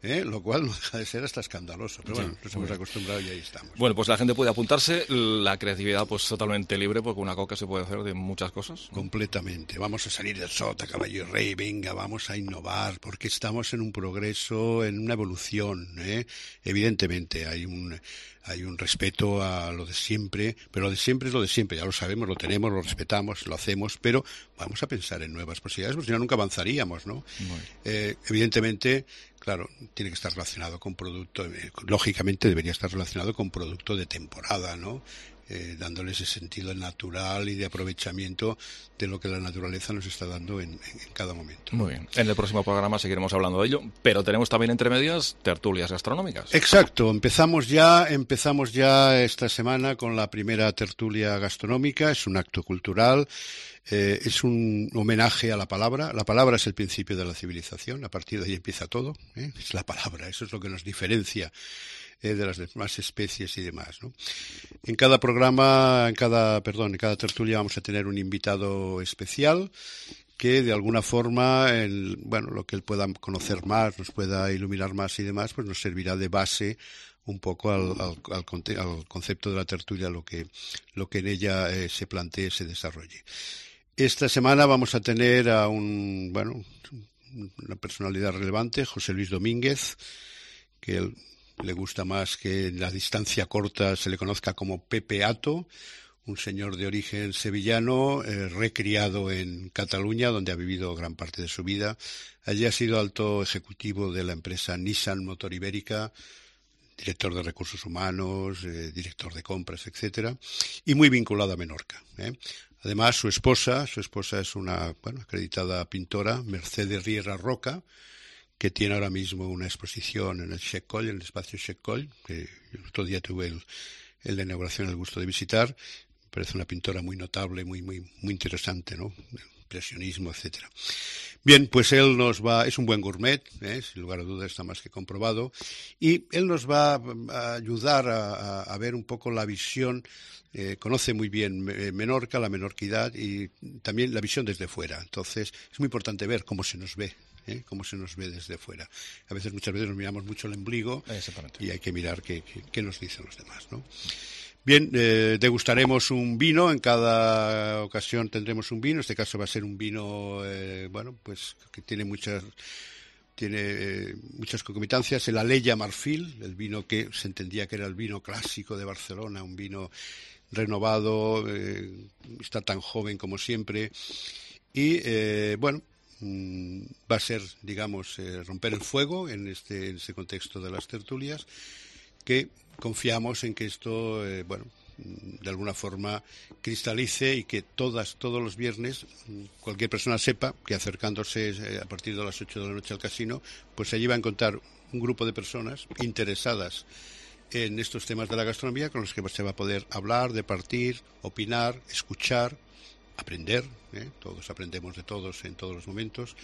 ¿eh? Lo cual no deja de ser hasta escandaloso, pero bueno, nos hemos acostumbrado y ahí estamos. Bueno, pues la gente puede apuntarse, la creatividad pues totalmente libre, porque una coca se puede hacer de muchas cosas. Completamente, vamos a salir del sota, caballo y rey, venga, vamos a innovar, porque estamos en un progreso, en una evolución, ¿eh? Evidentemente hay un... Hay un respeto a lo de siempre, pero lo de siempre es lo de siempre, ya lo sabemos, lo tenemos, lo respetamos, lo hacemos, pero vamos a pensar en nuevas posibilidades, porque si no nunca avanzaríamos, ¿no? Eh, evidentemente, claro, tiene que estar relacionado con producto, eh, lógicamente debería estar relacionado con producto de temporada, ¿no? Eh, dándole ese sentido natural y de aprovechamiento de lo que la naturaleza nos está dando en, en, en cada momento. Muy bien. En el próximo programa seguiremos hablando de ello, pero tenemos también entre medias tertulias gastronómicas. Exacto. Empezamos ya, empezamos ya esta semana con la primera tertulia gastronómica. Es un acto cultural. Eh, es un homenaje a la palabra. La palabra es el principio de la civilización. A partir de ahí empieza todo, ¿eh? Es la palabra. Eso es lo que nos diferencia Eh, de las demás especies y demás, ¿no? En cada programa, en cada, perdón, en cada tertulia vamos a tener un invitado especial que de alguna forma, el, bueno, lo que él pueda conocer más, nos pueda iluminar más y demás, pues nos servirá de base un poco al, al, al, al concepto de la tertulia, lo que, lo que en ella eh, se plantee, se desarrolle. Esta semana vamos a tener a un, bueno, una personalidad relevante, José Luis Domínguez, que él le gusta más que en la distancia corta se le conozca como Pepe Ato, un señor de origen sevillano, eh, recriado en Cataluña, donde ha vivido gran parte de su vida. Allí ha sido alto ejecutivo de la empresa Nissan Motor Ibérica, director de recursos humanos, eh, director de compras, etcétera, y muy vinculado a Menorca, ¿eh? Además, su esposa, su esposa es una, bueno, acreditada pintora, Mercedes Riera Roca, que tiene ahora mismo una exposición en el Chec Coll, en el espacio Chec Coll, que el otro día tuve el, el de inauguración el gusto de visitar. Me parece una pintora muy notable, muy, muy, muy interesante, ¿no? Impresionismo, etcétera. Bien, pues él nos va, es un buen gourmet, ¿eh? Sin lugar a dudas está más que comprobado, y él nos va a ayudar a, a, a ver un poco la visión. Eh, conoce muy bien Menorca, la menorquidad y también la visión desde fuera. Entonces es muy importante ver cómo se nos ve, ¿eh? Cómo se nos ve desde fuera. A veces, muchas veces nos miramos mucho el ombligo y hay que mirar qué, qué, qué nos dicen los demás, ¿no? Bien, eh, degustaremos un vino, en cada ocasión tendremos un vino, en este caso va a ser un vino, eh, bueno, pues que tiene muchas... Tiene eh, muchas concomitancias, el Aleya Marfil, el vino que se entendía que era el vino clásico de Barcelona, un vino renovado, eh, está tan joven como siempre, y eh, bueno, mmm, va a ser, digamos, eh, romper el fuego en este, en este contexto de las tertulias, que confiamos en que esto, eh, bueno, de alguna forma cristalice y que todas, todos los viernes cualquier persona sepa que acercándose a partir de las ocho de la noche al casino, pues allí va a encontrar un grupo de personas interesadas en estos temas de la gastronomía con los que se va a poder hablar, departir, opinar, escuchar, aprender, ¿eh? Todos aprendemos de todos en todos los momentos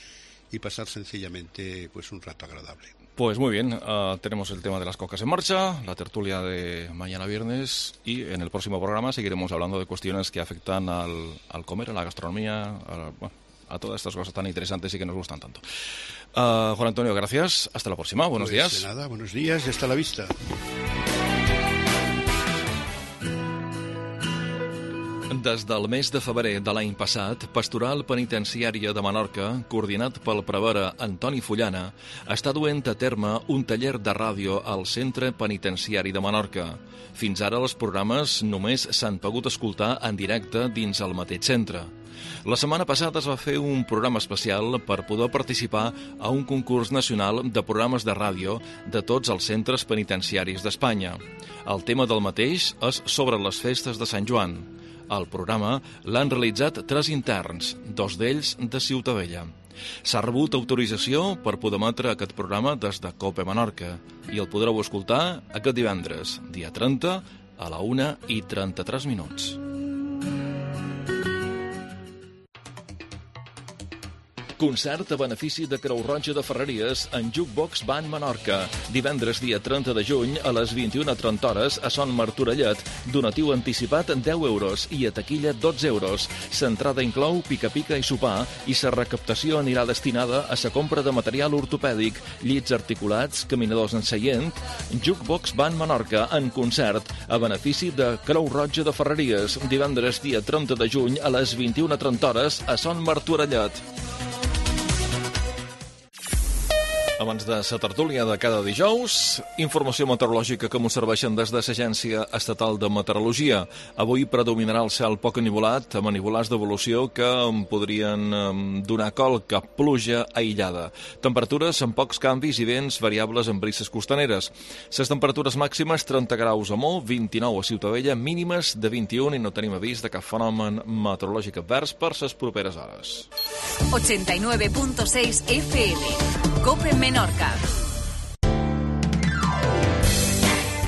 y pasar sencillamente pues un rato agradable. Pues muy bien, uh, tenemos el tema de las cocas en marcha, la tertulia de mañana viernes y en el próximo programa seguiremos hablando de cuestiones que afectan al, al comer, a la gastronomía, a, bueno, a todas estas cosas tan interesantes y que nos gustan tanto. Uh, Juan Antonio, gracias. Hasta la próxima. Buenos pues días. De nada, buenos días y hasta la vista. Des del mes de febrer de l'any passat, Pastoral Penitenciària de Menorca, coordinat pel prevere Antoni Fullana, està duent a terme un taller de ràdio al Centre Penitenciari de Menorca. Fins ara els programes només s'han pogut escoltar en directe dins el mateix centre. La setmana passada es va fer un programa especial per poder participar a un concurs nacional de programes de ràdio de tots els centres penitenciaris d'Espanya. El tema del mateix és sobre les festes de Sant Joan. El programa l'han realitzat tres interns, dos d'ells de Ciutadella. S'ha rebut autorització per poder emetre aquest programa des de COPE Menorca i el podreu escoltar aquest divendres, dia trenta, a la una i trenta-tres minuts. Concert a benefici de Creu Roja de Ferreries en Jukebox Band Menorca. Divendres, dia trenta de juny, a les vint-i-una trenta hores, a Son Martorellet. Donatiu anticipat deu euros i a taquilla dotze euros. L'entrada inclou pica-pica i sopar i la recaptació anirà destinada a la compra de material ortopèdic, llits articulats, caminadors en seient. Jukebox Band Menorca en concert a benefici de Creu Roja de Ferreries. Divendres, dia trenta de juny, a les vint-i-una trenta hores, a Son Martorellet. Abans de la tertúlia de cada dijous, informació meteorològica que m'ho serveixen des de l'Agència Estatal de Meteorologia. Avui predominarà el cel poc enivolat, amb enivolats d'evolució que em podrien donar colc a pluja aïllada. Temperatures amb pocs canvis i vents variables en brises costaneres. Les temperatures màximes trenta graus a Mó, vint-i-nou a Ciutadella, mínimes de vint-i-un i no tenim avís de cap fenomen meteorològic advers per les properes hores. ochenta y nueve punto seis F M. COPE Menorca.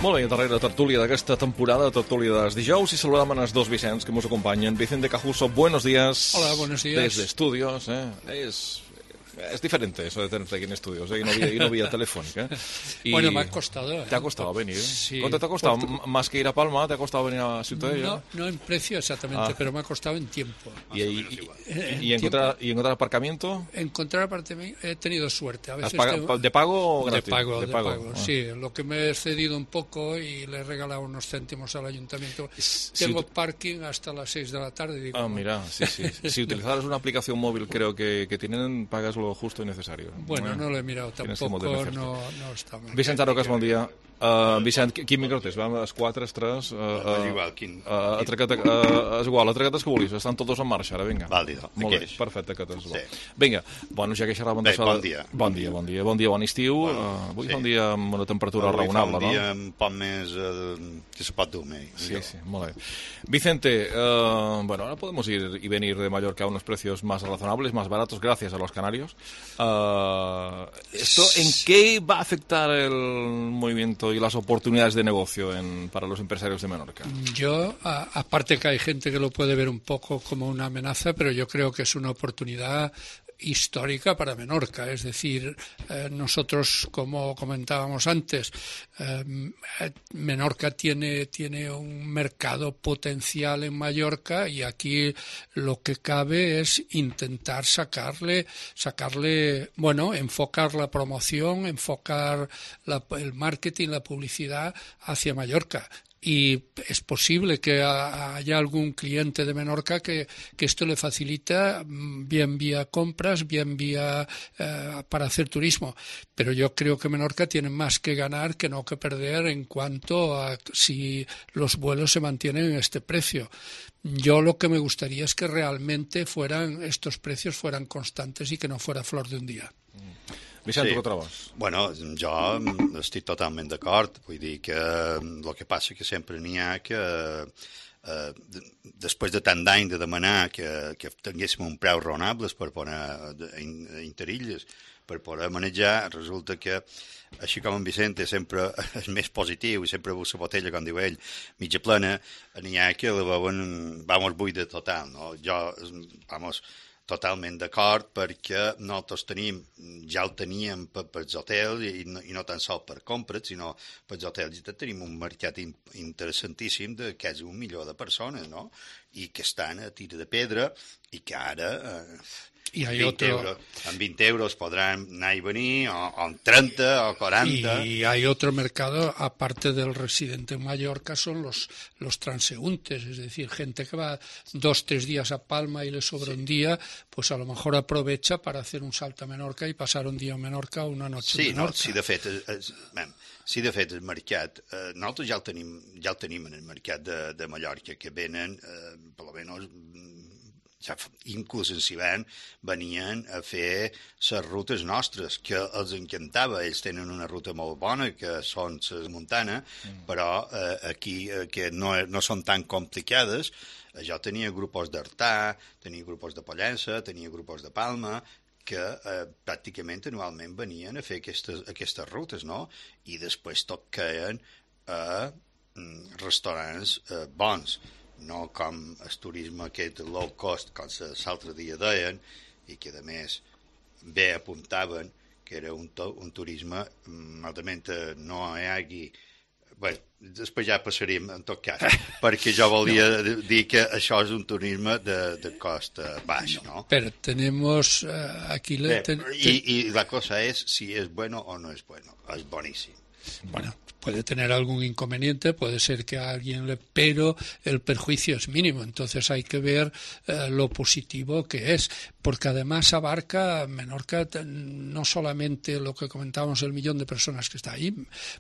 Molt bé, darrere tertúlia d'aquesta temporada, tertúlia dels dijous, i saludam els dos Vicents que ens acompanyen. Vicente Cajuso, buenos días. Hola, buenos días. Desde estudios, ¿eh? Es... Es diferente eso de tenerte aquí en estudios, ¿eh? y, no vía, y no vía telefónica. Y bueno, me ha costado. ¿eh? ¿Te ha costado venir? Sí. ¿Cuánto te ha costado? Por... ¿Más que ir a Palma? ¿Te ha costado venir a Ciutadella? No, no en precio exactamente, ah. pero me ha costado en tiempo. ¿Y, y, y, y, encontrar, ¿Y encontrar aparcamiento? Encontrar apartamento he tenido suerte. A veces paga, tengo... ¿De pago o gratis? De pago, de, de pago. pago. Ah. Sí, lo que me he cedido un poco y le he regalado unos céntimos al ayuntamiento. Si tengo ut... parking hasta las seis de la tarde. Digo, ah, mira, sí, sí. Si utilizaras una aplicación móvil, creo que, que tienen, pagas lo justo y necesario. Bueno, no lo he mirado tampoco, no, no està mal. Vicent Arocas, bon dia. Uh, Vicent, quin micro tens? Va, els quatre, els tres... Uh, uh, és igual, quin... Uh, atraqueta, uh, és igual, atraquetes que vulguis, estan tots en marxa, ara, vinga. Vàlido, molt bé, perfecte, que tens sí. Vinga, bueno, ja que xerràvem de... Bon dia. Bon dia, bon dia, bon dia, bon estiu. Bueno, uh, avui sí. Fa un dia amb una temperatura avui raonable, no? Avui fa un dia no? un poc més uh, que se pot dormir. Sí, sí, molt bé. Vicente, uh, bueno, ahora podemos ir y venir de Mallorca a unos precios más razonables, más baratos, gracias a los canarios. Uh, ¿Esto en qué va a afectar el movimiento y las oportunidades de negocio en, para los empresarios de Menorca? Yo, a, aparte que hay gente que lo puede ver un poco como una amenaza, pero yo creo que es una oportunidad histórica para Menorca, es decir, eh, nosotros, como comentábamos antes, eh, Menorca tiene, tiene un mercado potencial en Mallorca y aquí lo que cabe es intentar sacarle, sacarle, bueno, enfocar la promoción, enfocar la, el marketing, la publicidad hacia Mallorca. Y es posible que haya algún cliente de Menorca que, que esto le facilita bien vía compras, bien vía eh, para hacer turismo. Pero yo creo que Menorca tiene más que ganar que no que perder en cuanto a si los vuelos se mantienen en este precio. Yo lo que me gustaría es que realmente fueran estos precios fueran constantes y que no fuera flor de un día. Vicent, sí. tu què trobes? Bueno, jo estic totalment d'acord. Vull dir que el que passa que sempre n'hi ha que eh, després de tant d'any de demanar que, que tinguéssim un preu raonables per poder interilles, per poder manejar, resulta que així com en Vicente sempre és més positiu i sempre veu la botella, com diu ell, mitja plena, n'hi ha que la veuen, vamos, buida total, no? Jo, vamos, totalment d'acord perquè nosaltres tenim, ja el teníem per, per els hotels i no, i no tan sols per compres, sinó per els hotels i tenim un mercat in, interessantíssim de quasi un milió de persones, no? I que estan a tira de pedra i que ara... Eh, Y hay veinte otro... euros, en veinte euros podrán anar i venir, o, o en treinta, o cuarenta... Y hay otro mercado, aparte del residente en Mallorca, son los, los transeúntes, es decir, gente que va dos, tres días a Palma y le sobra sí. un día, pues a lo mejor aprovecha para hacer un salto a Menorca y pasar un día a Menorca o una noche sí, a Menorca. No, sí, de fet, és, man, sí, de fet, el mercat, eh, nosaltres ja el tenim, ja el tenim en el mercat de, de Mallorca, que venen, eh, per lo menos... Ja, inclús en Sivern venien a fer les rutes nostres, que els encantava. Ells tenen una ruta molt bona, que són les Montana, mm. però eh, aquí, eh, que no, no són tan complicades. Jo tenia grupos d'Artà, tenia grupos de Pollença, tenia grupos de Palma, que eh, pràcticament anualment venien a fer aquestes, aquestes rutes, no? I després tot caien a mm, restaurants eh, bons, no com el turisme aquest low cost, com l'altre dia deien, i que a més bé apuntaven que era un, to, un turisme malament no hi hagi... Bé, després ja passaríem en tot cas, perquè jo volia no. dir que això és un turisme de, de cost baix, no? Pero tenemos uh, aquí... Le, ten, ten... Y, y la cosa es si es bueno o no es bueno, es buenísimo. Bueno, puede tener algún inconveniente, puede ser que a alguien le... Pero el perjuicio es mínimo, entonces hay que ver eh, lo positivo que es, porque además abarca Menorca no solamente lo que comentábamos, el millón de personas que está ahí.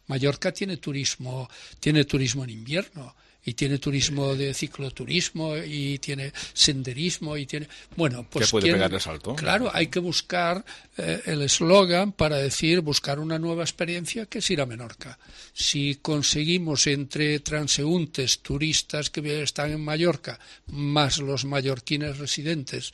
Mallorca tiene turismo, tiene turismo en invierno. Y tiene turismo de cicloturismo y tiene senderismo y tiene... Bueno, pues... ¿Qué puede pegar el salto? Claro, hay que buscar eh, el eslogan para decir, buscar una nueva experiencia que es ir a Menorca. Si conseguimos entre transeúntes, turistas que están en Mallorca, más los mallorquines residentes,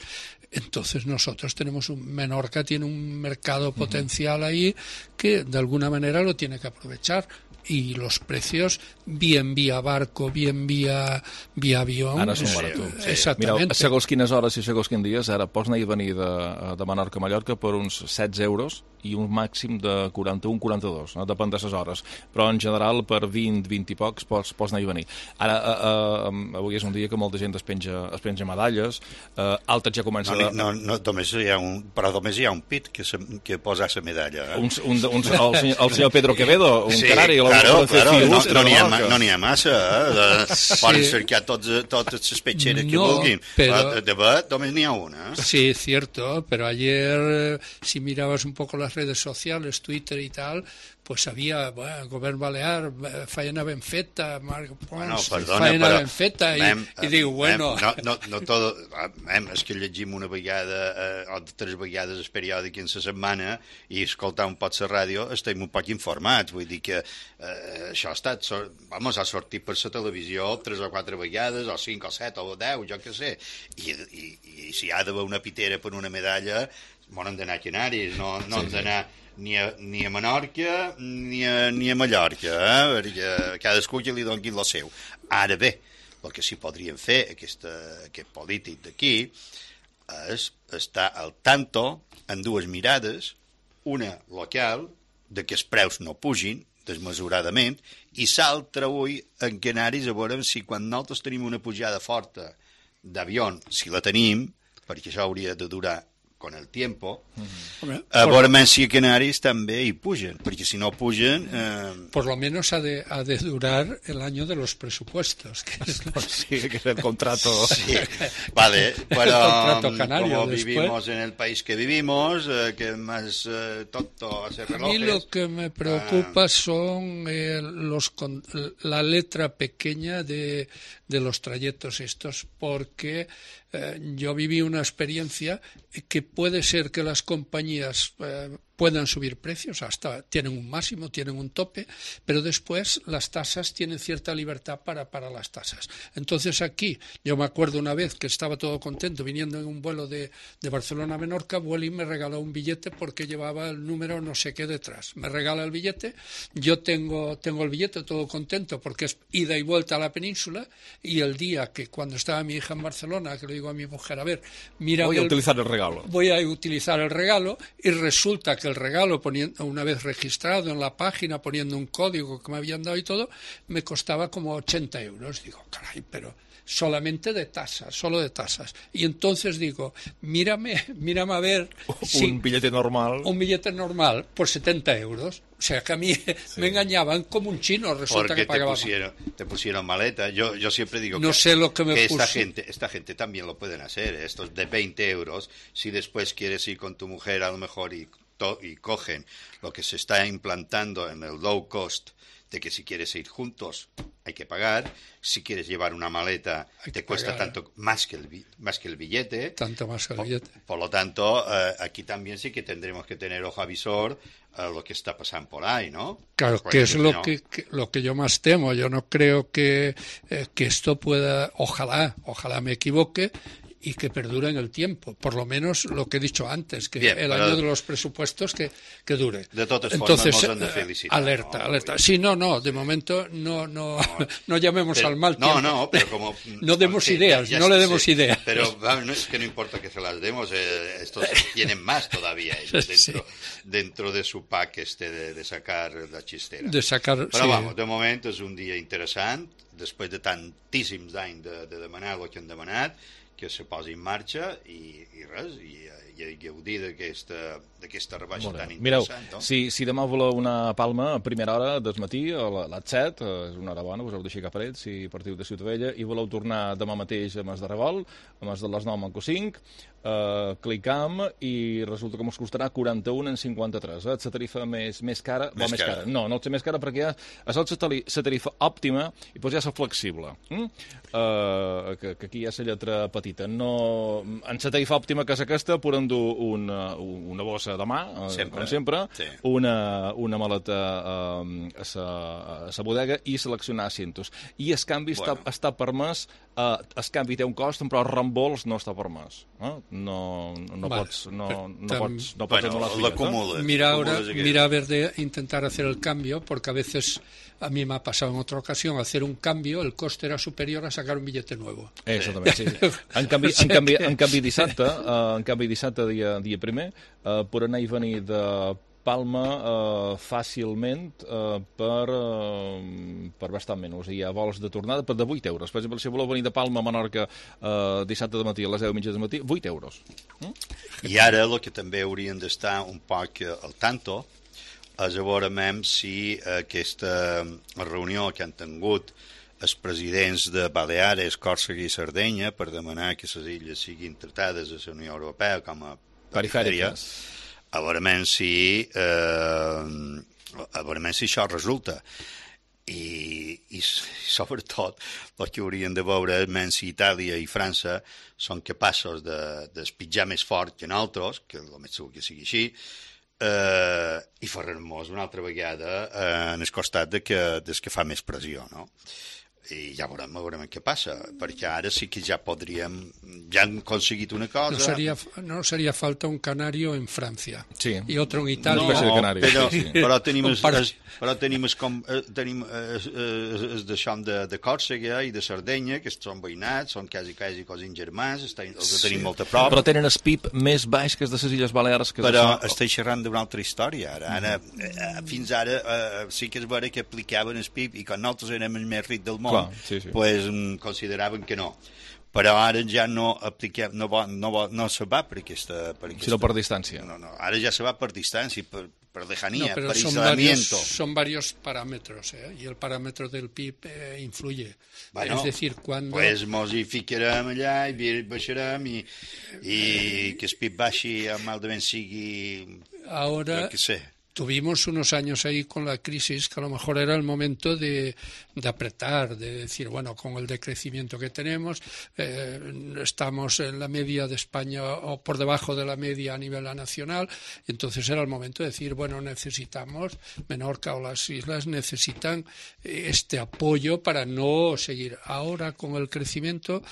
entonces nosotros tenemos un... Menorca tiene un mercado potencial ahí que de alguna manera lo tiene que aprovechar. Y los precios, bien vía barco, bien vía, vía avión... Ara són baratons. Sí. Exactament. Mira, segons quines hores i segons quins dies, ara pots anar i venir de, de Menorca a Mallorca per uns setze euros i un màxim de quaranta-un a quaranta-dos, no? Depèn de les hores. Però en general per vint, vint i pocs pots, pots anar i venir. Ara, uh, uh, avui és un dia que molta gent es penja, es penja medalles, uh, altres ja comença... No, no, no, només hi ha un, però només hi ha un pit que, se, que posa la medalla. Eh? Un, un, un, el, senyor, el senyor Pedro Quevedo, un sí, canari, claro, per fer claro, fils no, no n'hi ha, Menorca. no n'hi ha massa, eh? Sí. Poden cercar tots, totes les petxeres que No, vulguin. pero- De bet només n'hi ha una. Sí, cierto, pero ayer, eh, si mirabas un poco las redes sociales, Twitter y tal, pues había, bueno, Govern Balear, eh, Faena Benfeta, Marc Pons, Bueno, perdona, Faena però... Benfeta, i, mem, i digo, bueno... Mem, no, no, no todo, mem, és que llegim una vegada eh, o tres vegades el periòdic en la setmana i escoltar un pot la ràdio estem un poc informats, vull dir que eh, això ha estat, so, vamos, ha sortit per la televisió tres o quatre vegades, o cinc o set o deu, jo què sé, i, i, i si hi ha d'haver una pitera per una medalla, bon, hem d'anar a Canaris, no, no Sí, hem d'anar ni a, ni a Menorca ni a, ni a Mallorca, eh? Perquè cadascú que li doni el seu. Ara bé, el que sí podrien fer aquesta, aquest polític d'aquí és estar al tanto en dues mirades, una local, de que els preus no pugin desmesuradament, i l'altra avui en Canaris a veure si quan nosaltres tenim una pujada forta d'avió, si la tenim, perquè això hauria de durar con el tiempo, Hombre, a por- veure si a Canaris també hi pugen, perquè si no pugen... Eh, Por lo menos ha de, ha de durar el año de los presupuestos. Que es lo- Sí, que es el contrato. Sí, vale, pero El contrato canario como después. vivimos en el país que vivimos, eh, que más eh, tonto hace A relojes... mí lo que me preocupa son eh, los con- la letra pequeña de, de los trayectos estos, porque eh, yo viví una experiencia que puede ser que las compañías eh, puedan subir precios, hasta tienen un máximo, tienen un tope, pero después las tasas tienen cierta libertad para, para las tasas. Entonces aquí, yo me acuerdo una vez que estaba todo contento viniendo en un vuelo de, de Barcelona a Menorca, Vueling me regaló un billete porque llevaba el número no sé qué detrás. Me regala el billete, yo tengo, tengo el billete todo contento porque es ida y vuelta a la península, y el día que cuando estaba mi hija en Barcelona, que le digo a mi mujer, a ver, mira... Voy a utilizar el regalo. Voy a utilizar el regalo, y resulta que el regalo, poniendo, una vez registrado en la página, poniendo un código que me habían dado y todo, me costaba como ochenta euros. Digo, caray, pero solamente de tasas, solo de tasas. Y entonces digo, mírame, mírame a ver si Un billete normal. un billete normal por setenta euros. O sea, que a mí me engañaban como un chino, resulta Porque que te pagaba. pusieron, te pusieron maleta. Yo, yo siempre digo No que, sé lo que me que esta puso. gente, esta gente también lo pueden hacer. Estos de veinte euros, si después quieres ir con tu mujer a lo mejor y, to- y cogen lo que se está implantando en el low cost, de que si quieres ir juntos hay que pagar, si quieres llevar una maleta te cuesta pagar. tanto más que el bi- más que el billete. Tanto más que el billete. Por lo tanto, eh, aquí también sí que tendremos que tener ojo avisor a lo que está pasando por ahí, ¿no? Claro, Porque que es si lo no- que, que- lo que yo más temo. Yo no creo que, eh, que esto pueda, ojalá, ojalá me equivoque, y que perdure en el tiempo. Por lo menos lo que he dicho antes, que Bien, el pero- año de los presupuestos que, que dure. De totes Entonces, formas, nos han de eh, felicitar, alerta, ¿no? alerta. Sí, no, no, de momento no, no, no llamemos Pero- al mal no, tiempo. no, pero como... No demos sí, ideas, ya no le sé, demos ideas. Pero vamos, no es que no importa que se las demos, eh, estos tienen más todavía ellos Sí. dentro, dentro de su pack este de, de sacar la chistera. De sacar, Però sí. vamos, de moment és un dia interessant, després de tantíssims anys de, de demanar el que han demanat, que se posi en marxa i, i res, i, i, i gaudir d'aquesta d'aquesta rebaixa Molt bé. tan Mireu, interessant. No? si, si demà voleu una palma a primera hora del matí, a la- les set, eh, és una hora bona, us heu d'aixecar cap a ells, si partiu de Ciutadella, i voleu tornar demà mateix a Mas de Revolt, a Mas de les nou amb cinc, eh, clicam, i resulta que us costarà quaranta-un en cinquanta-tres. Eh? És la tarifa més, més cara, Més o més cara. cara. No, no és la més cara perquè ja és la tari- la tarifa òptima i doncs ja és la flexible. Mm? Uh, que, que aquí hi ha la lletra petita. No, en la tarifa òptima, que és aquesta, podem dur una, una bossa de mà, eh, Sempre. com sempre, Sí. una, una maleta eh, a sa, a sa bodega i seleccionar asientos. I el canvi Bueno. està, està permès, eh, el canvi té un cost, però el reembols no està permès. Eh? No, no, Vale. pots, no, Però no tam- pots, no pots Bueno, anul·lar els lo bitllets, eh? acumules. Mira ahora, acumules aquello. mira a ver de intentar hacer el cambio, porque a veces a mí me ha pasado en otra ocasión hacer un cambio, el coste era superior a sacar un billete nuevo. Exactament, sí. En canvi, O en sea canvi, que- en canvi dissabte, uh, en canvi dissabte dia, dia primer, uh, per anar i venir de Palma uh, fàcilment uh, per, uh, per bastant menys. Hi ha vols de tornada per de vuit euros. Per exemple, si voleu venir de Palma a Menorca uh, dissabte de matí a les deu mitja del matí, vuit euros. Mm? I ara el que també haurien d'estar un poc al tanto, és a veure si aquesta reunió que han tingut els presidents de Baleares, Còrsega i Sardenya per demanar que les illes siguin tratades a la Unió Europea com a perifèries, a veure si, eh, a veure si això resulta. I, i sobretot el que haurien de veure és si Itàlia i França són capaços de, d'espitjar més fort que nosaltres, que el més segur que sigui així, eh, i fer-nos una altra vegada eh, en el costat de que, des que fa més pressió, no? I ja veurem, veurem què passa, perquè ara sí que ja podríem, ja han conseguit una cosa. No sería, no sería falta un canario en Francia sí. y otro en Italia. No, però, però tenim els, els, però tenim els, com, tenim els, els d'això de, de Còrsega i de Sardenya, que són veïnats, són quasi, quasi cosins germans, els tenim sí. molt a prop. Però tenen el P I B més baix que els de les Illes Balears. Que però són... estic xerrant d'una altra història, ara. ara mm. Fins ara eh, sí que és vera que aplicaven el P I B i quan nosaltres érem el més ric del món, Clar, sí, sí. pues, consideraven que no. Però ara ja no apliquem, no, va, no, va, no se va per aquesta... Per aquesta sinó per distància. No, no, ara ja se va per distància, per, per lejanía, no, per son aislamiento. Varios, son varios parámetros, ¿eh? Y el parámetro del P I B eh, influye. Bueno, es decir, cuando... Pues mos hi ficarem allà i baixarem i, i que el P I B baixi malament sigui... Ahora... Que sé. Tuvimos unos años ahí con la crisis que a lo mejor era el momento de, de apretar, de decir, bueno, con el decrecimiento que tenemos, eh, estamos en la media de España o por debajo de la media a nivel nacional, y entonces era el momento de decir, bueno, necesitamos, Menorca o las islas necesitan este apoyo para no seguir. Ahora con el crecimiento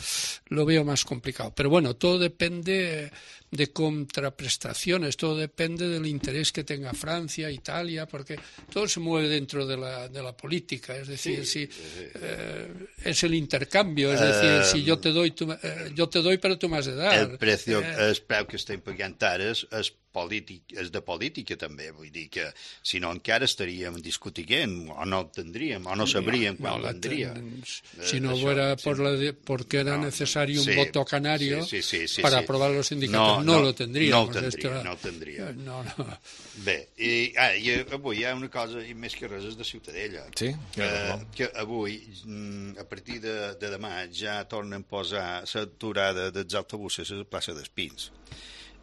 lo veo más complicado, pero bueno, todo depende de contraprestaciones, todo depende del interés que tenga Francia, Italia, porque todo se mueve dentro de la, de la política, es decir, sí, si sí. Eh, es el intercambio, es decir, uh, si yo te doy, tú, eh, yo te doy, pero tú me has de dar. El precio, eh, el preu que estem pagant ara és, és, polític, és de política també, vull dir que si no encara estaríem discutint o no el tendríem, o no sabríem no, quan no tendria. Ten... Si no això, fuera sí. por la de, porque era no, necesario sí, un voto canario sí, sí, sí, sí, para sí. aprobar los indicadores, no, no, no lo tendríamos. No el tendria, esto... no el tendria. No, no. Bé, i, ah, i avui hi ha una cosa, i més que res és de Ciutadella. Sí? Que, que avui, a partir de, de demà, ja tornen a posar l'aturada dels autobusos a la plaça d'Espins.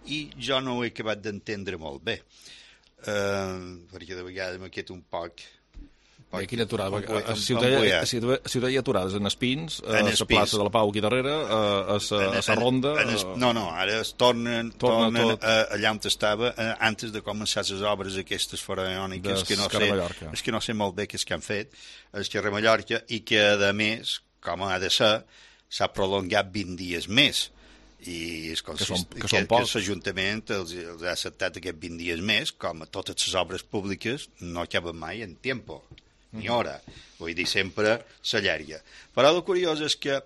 I jo no ho he acabat d'entendre molt bé, uh, perquè de vegades m'ha quedat un poc... Bé, quina aturada? A Ciutadella hi ha aturades en Espins, a la plaça de la Pau aquí darrere, a la Ronda... No, no, ara es tornen, tornen allà on estava antes de començar les obres aquestes faraòniques, que no sé, és que no sé molt bé què és que han fet, és que a Mallorca, i que a més, com ha de ser, s'ha prolongat vint dies més. I és que, són, que, que, que l'Ajuntament els, els ha acceptat aquests vint dies més, com a totes les obres públiques no acaben mai en tempo, ni hora. Vull dir, sempre s'allarga. Però el curiós és que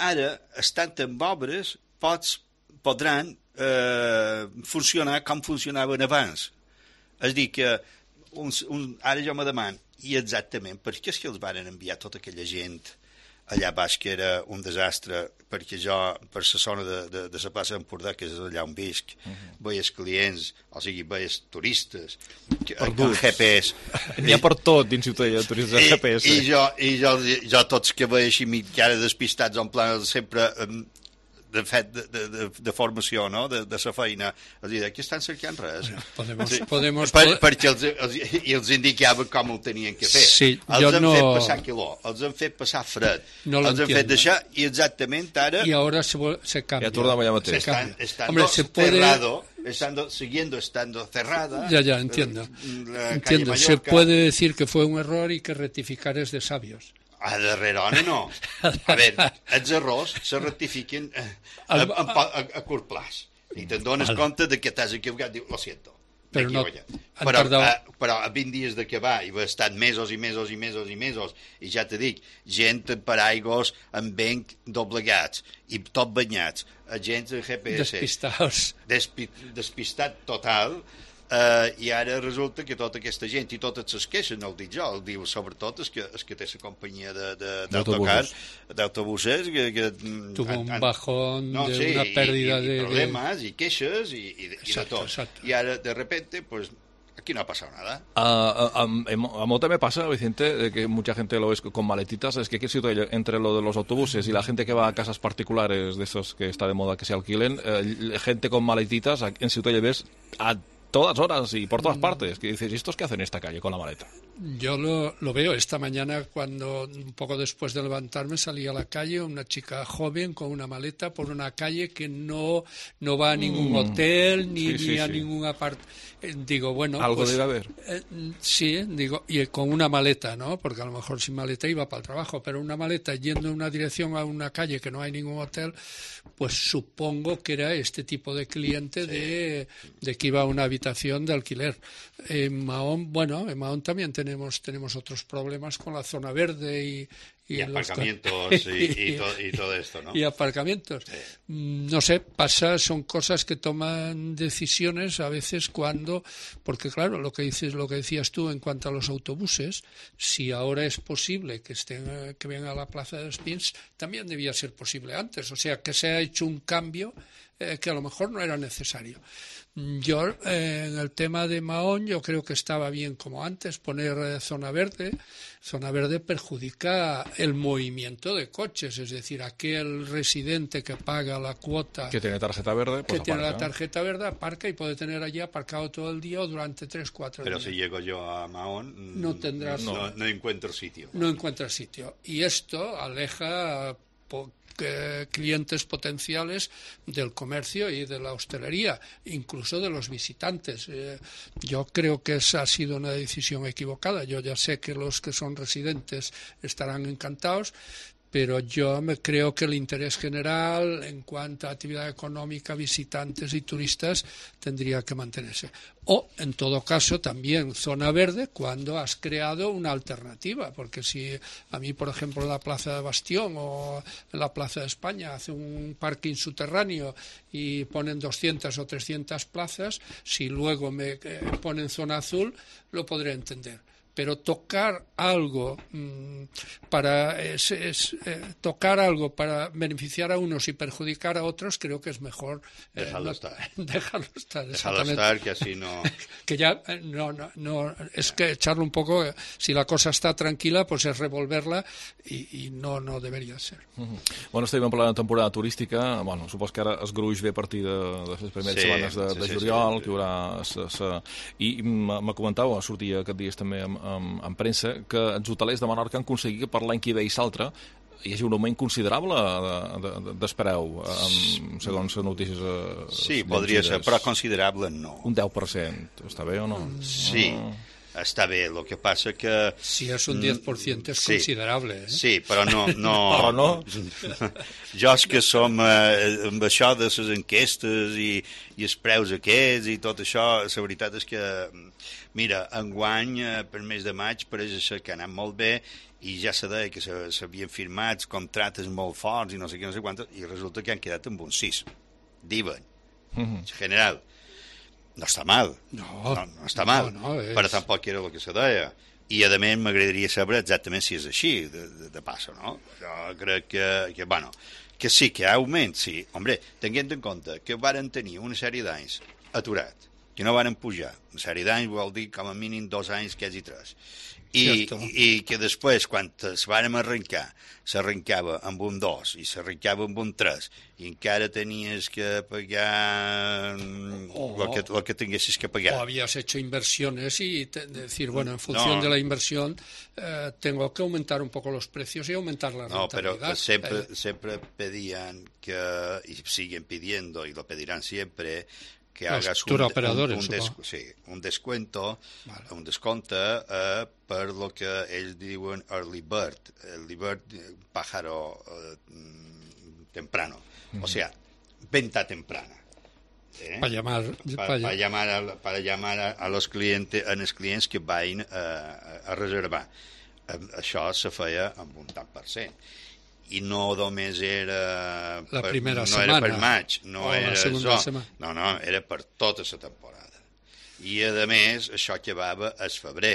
ara, estant en obres, pots, podran eh, funcionar com funcionaven abans. És dir, que un, un, ara jo me demano, i exactament, per què és que els van enviar tota aquella gent allà baix, que era un desastre, perquè jo, per la zona de, de, de la plaça d'Empordà, que és allà on visc, uh -huh. veies clients, o sigui, veies turistes, amb G P S. N'hi ha per tot dins Ciutadella, turistes amb G P S. I, i, jo, i jo, jo tots que veig així mitjana despistats, en plan, sempre... Um, de fet, de, de, de formació, no?, de, de la feina, els diuen que estan cercant res. Bueno, podemos, sí. podemos... Per, perquè els, els, i els indicaven com ho tenien que fer. Sí, els han no... fet passar calor, els han fet passar fred, no els han fet deixar, i exactament ara... I ara se, se cambia. Ja tornem allà mateix. Estan, estando Hombre, se puede... cerrado, estando, siguiendo estando cerrada... Ya, ya, entiendo. Entiendo, se puede decir que fue un error y que rectificar es de sabios. A darrere no. A veure, els errors se rectifiquen a, a, a, a curt plaç. I te'n dones Al... compte de que t'has equivocat, diu, lo siento. Però, no, però, a, però a vint dies d'acabar, i va estar mesos i mesos i mesos i mesos, i ja te dic, gent amb paraigos amb venc doblegats, i tot banyats, gent amb G P S. Despistats. Despi, despistat total. Uh, i ara resulta que tota aquesta gent i totes les queixes, no el dic jo, el diu sobretot és que, és que té la companyia d'autocar, d'autobuses que, que tuvo un han, bajón no, de sí, una pérdida i, i, de i problemes de... i queixes i, i, exacto, i de tot exacto. i ara de repente pues, aquí no ha pasado nada. Uh, a, a, a Mo también pasa, Vicente, de que mucha gente lo es con maletitas. Es que aquí entre lo de los autobuses y la gente que va a casas particulares de esos que está de moda que se alquilen, eh, gente con maletitas en Ciutat ves a todas horas y por todas partes, que dices, ¿y estos qué hacen en esta calle con la maleta? Yo lo, lo veo esta mañana cuando, un poco después de levantarme, salí a la calle, una chica joven con una maleta por una calle que no, no va a ningún mm. hotel ni, sí, sí, ni a sí. ningún apart. Eh, digo, bueno... Algo pues, debe haber. Eh, sí, digo, y con una maleta, ¿no? Porque a lo mejor sin maleta iba para el trabajo, pero una maleta yendo en una dirección a una calle que no hay ningún hotel, pues supongo que era este tipo de cliente sí. de, de que iba a una habitación de alquiler. En Mahón, bueno, en Mahón también tenemos tenemos otros problemas con la zona verde y, y, y aparcamientos los... y, y, to, y todo esto, ¿no? Y aparcamientos. Sí. No sé, pasa, son cosas que toman decisiones a veces cuando, porque claro, lo que dices, lo que decías tú en cuanto a los autobuses, si ahora es posible que estén, que vengan a la Plaza de los Pins, también debía ser posible antes. O sea, que se ha hecho un cambio eh, que a lo mejor no era necesario. Yo, eh, en el tema de Mahón, yo creo que estaba bien como antes, poner eh, zona verde. Zona verde perjudica el movimiento de coches, es decir, aquel residente que paga la cuota... Que tiene tarjeta verde, pues Que aparca. tiene la tarjeta verde, aparca y puede tener allí aparcado todo el día o durante tres, cuatro Pero días. si llego yo a Mahón, no, tendrás, no, no encuentro sitio. No encuentras sitio. Y esto aleja... Po- Que clientes potenciales del comercio y de la hostelería, incluso de los visitantes. Eh, yo creo que esa ha sido una decisión equivocada. Yo ya sé que los que son residentes estarán encantados, pero yo me creo que el interés general en cuanto a actividad económica, visitantes y turistas tendría que mantenerse. O, en todo caso, también zona verde cuando has creado una alternativa, porque si a mí, por ejemplo, en la Plaza de Bastión o en la Plaza de España hace un parking subterráneo y ponen doscientas o trescientas plazas, si luego me eh, ponen zona azul, lo podré entender. Pero tocar algo mmm, para es, es, eh, tocar algo para beneficiar a unos y perjudicar a otros, creo que es mejor eh, dejarlo no, estar. Dejarlo estar, dejarlo estar, que así no. que ya eh, no, no, no es que echarlo un poco. Eh, si la cosa está tranquila, pues es revolverla i, i no no deberia ser. Uh-huh. Bueno, estem en plena temporada turística. Bueno, supos que ara es gruix ve a partir de, de les primeres sí, setmanes de, sí, de juliol, sí, sí. que hi haurà sa, sa... i me comentava, sortia aquest dies també amb En, en premsa, que els hotelers de Menorca han aconseguit que per l'any que ve i l'altre hi hagi un augment considerable d'espereu, de, segons notícies. Eh, sí, podria ser, però considerable no. Un deu per cent, està bé o no? Sí, ah. Està bé, el que passa que... Si és un deu per cent és sí, considerable, eh? Sí, però no... no però no? Jo és que som eh, amb això de les enquestes i, i els preus aquests i tot això, la veritat és que, mira, enguany, eh, per mes de maig, pareix ser que ha anat molt bé i ja se deia que s'havien firmat contractes molt forts i no sé què, no sé quantos, i resulta que han quedat amb un sis, diuen, mm-hmm. en general. No està mal, no, no, no està mal, no, no, és... però tampoc era el que se deia. I, a més, m'agradaria saber exactament si és així, de, de, de passo, no? Jo crec que, que, bueno, que sí, que hi ha augment, sí. Hombre, tenint en compte que varen tenir una sèrie d'anys aturat, que no varen pujar. Una sèrie d'anys vol dir com a mínim dos anys, quasi tres. I, i que després, quan es vàrem arrencar, s'arrencava amb un dos i s'arrencava amb un tres i encara tenies que pagar oh, lo, que, lo que tinguessis que pagar. O habías hecho inversiones y te, decir, bueno, en función no. de la inversión eh, tengo que aumentar un poco los precios y aumentar la no, rentabilidad. No, pero siempre, eh. siempre pedían que, y siguen pidiendo, y lo pedirán siempre, que los hagas un, operadores, un, un, des, sí, un descuento, vale. un desconte eh, per lo que ells diuen early bird, early bird, pájaro eh, temprano, mm-hmm. o sea, venta temprana. Eh? Para llamar, pa, pa, pa llamar, a, para llamar a, a los clientes, a els clients que vagin eh, a, a reservar. Eh, això se feia amb un tant per cent. I no només era la per, primera no setmana, era per maig, no era això, no, no, era per tota la temporada. I a més això acabava el febrer,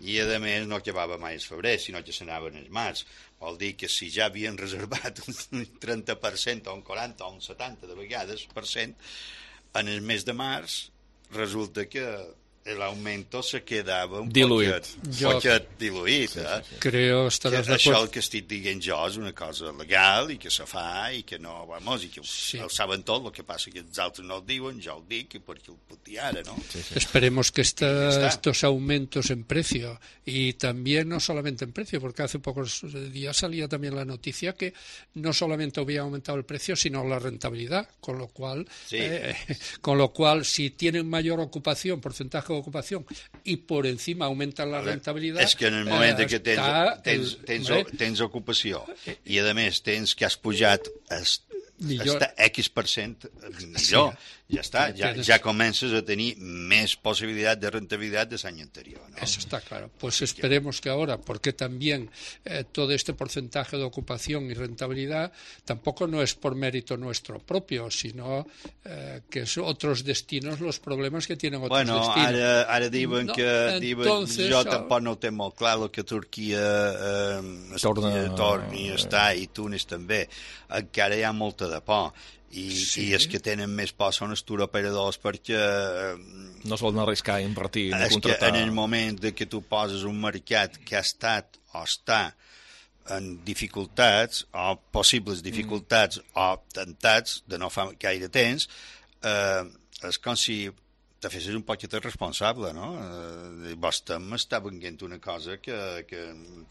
i a més no acabava mai el febrer, sinó que s'anaven el març. Vol dir que si ja havien reservat un trenta per cent o un quaranta o un setanta de vegades per cent, en el mes de març resulta que el aumento se quedava un diluït. poquet, jo... poquet diluït. Eh? Sí, sí, sí. Creo estaràs d'acord. Això el que estic dient jo és una cosa legal i que se fa i que no, vamos, i que sí. Ho saben tot, el que passa que els altres no ho diuen, jo ho dic i perquè ho puc dir ara, ¿no? Sí, sí. Esperemos que esta, estos aumentos en precio y también no solamente en precio, porque hace pocos días salía también la noticia que no solamente había aumentado el precio, sino la rentabilidad, con lo cual, sí. eh, con lo cual si tienen mayor ocupación, porcentaje de ocupación y por encima aumenta la rentabilitat... És que en el moment eh, que tens, tens, tens, tens, tens ocupació i a més tens que has pujat hasta X per cent, millor, sí. Ja està, ja, ya comienzas a tener más posibilidad de rentabilidad del año anterior, ¿no? Eso está claro. Pues Así esperemos que... que ahora, porque también eh, todo este porcentaje de ocupación y rentabilidad tampoco no es por mérito nuestro propio, sino eh, que es otros destinos los problemas que tienen otros bueno, destinos. Bueno, ara, ara diuen no, que diuen, entonces, jo tampoc no ho té molt clar el que Turquia eh, torna, torni a estar i Túnez també. Encara hi ha molta de por. I, sí. i els que tenen més por són els turoperadors perquè no es volen arriscar a invertir ni és contractar. Que en el moment de que tu poses un mercat que ha estat o està en dificultats o possibles dificultats mm. o tentats de no fa gaire temps, eh, és com si te fessis un poquet responsable, no? Eh, vostè m'està venint una cosa que, que,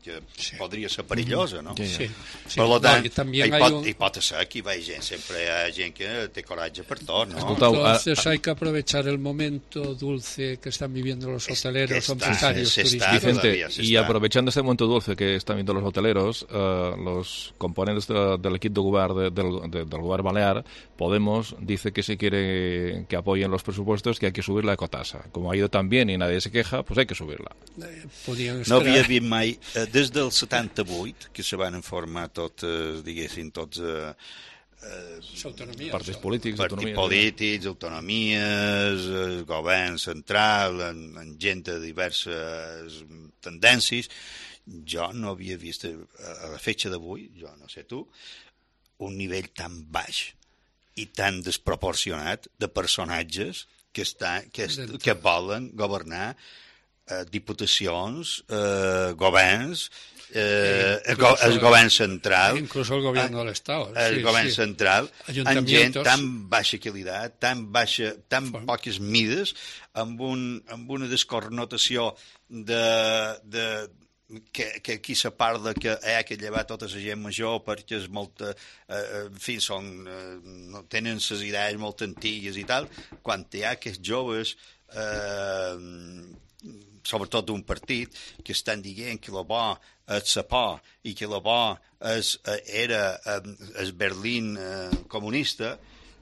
que sí. podria ser perillosa, no? Sí, sí. sí. Per lo tant, no, hi, pot, un... hi pot ser que hi va gent, sempre hi ha gent que té coratge per tot, no? Escoltau, entonces hay que aprovechar el momento dulce que están viviendo los hoteleros, está, empresarios, se, se turísticos. Vicente, y aprovechando este momento dulce que están viendo los hoteleros, uh, los componentes de, del equipo de gobierno de, del, de, del gobierno balear, Podemos dice que si quiere que apoyen los presupuestos, que hay que subir la ecotasa. Como ha ido tan bien y nadie se queja, pues hay que subirla. No havia vist mai, eh, des del setanta-vuit, que se van formar tots, eh, diguéssim, tots... Eh, eh, partits polítics, partits autonomies, polítics, autonomies, eh, govern central, en, en gent de diverses tendències. Jo no havia vist, a la fetge d'avui, jo no sé tu, un nivell tan baix i tan desproporcionat de personatges que, està, que, es, que volen governar eh, diputacions, eh, governs, eh, el, go, el govern central... Incluso el govern de l'Estat. El sí, govern sí. central, amb gent tan baixa qualitat, tan, baixa, tan Font. poques mides, amb, un, amb una desconnotació de... de que, que aquí se parla que hi ha que llevar tota la gent major perquè és molta, eh, en fi, són, eh, no, tenen les idees molt antigues i tal, quan hi ha aquests joves, eh, sobretot d'un partit, que estan dient que la bo és la por i que la bo és, era el Berlín eh, comunista,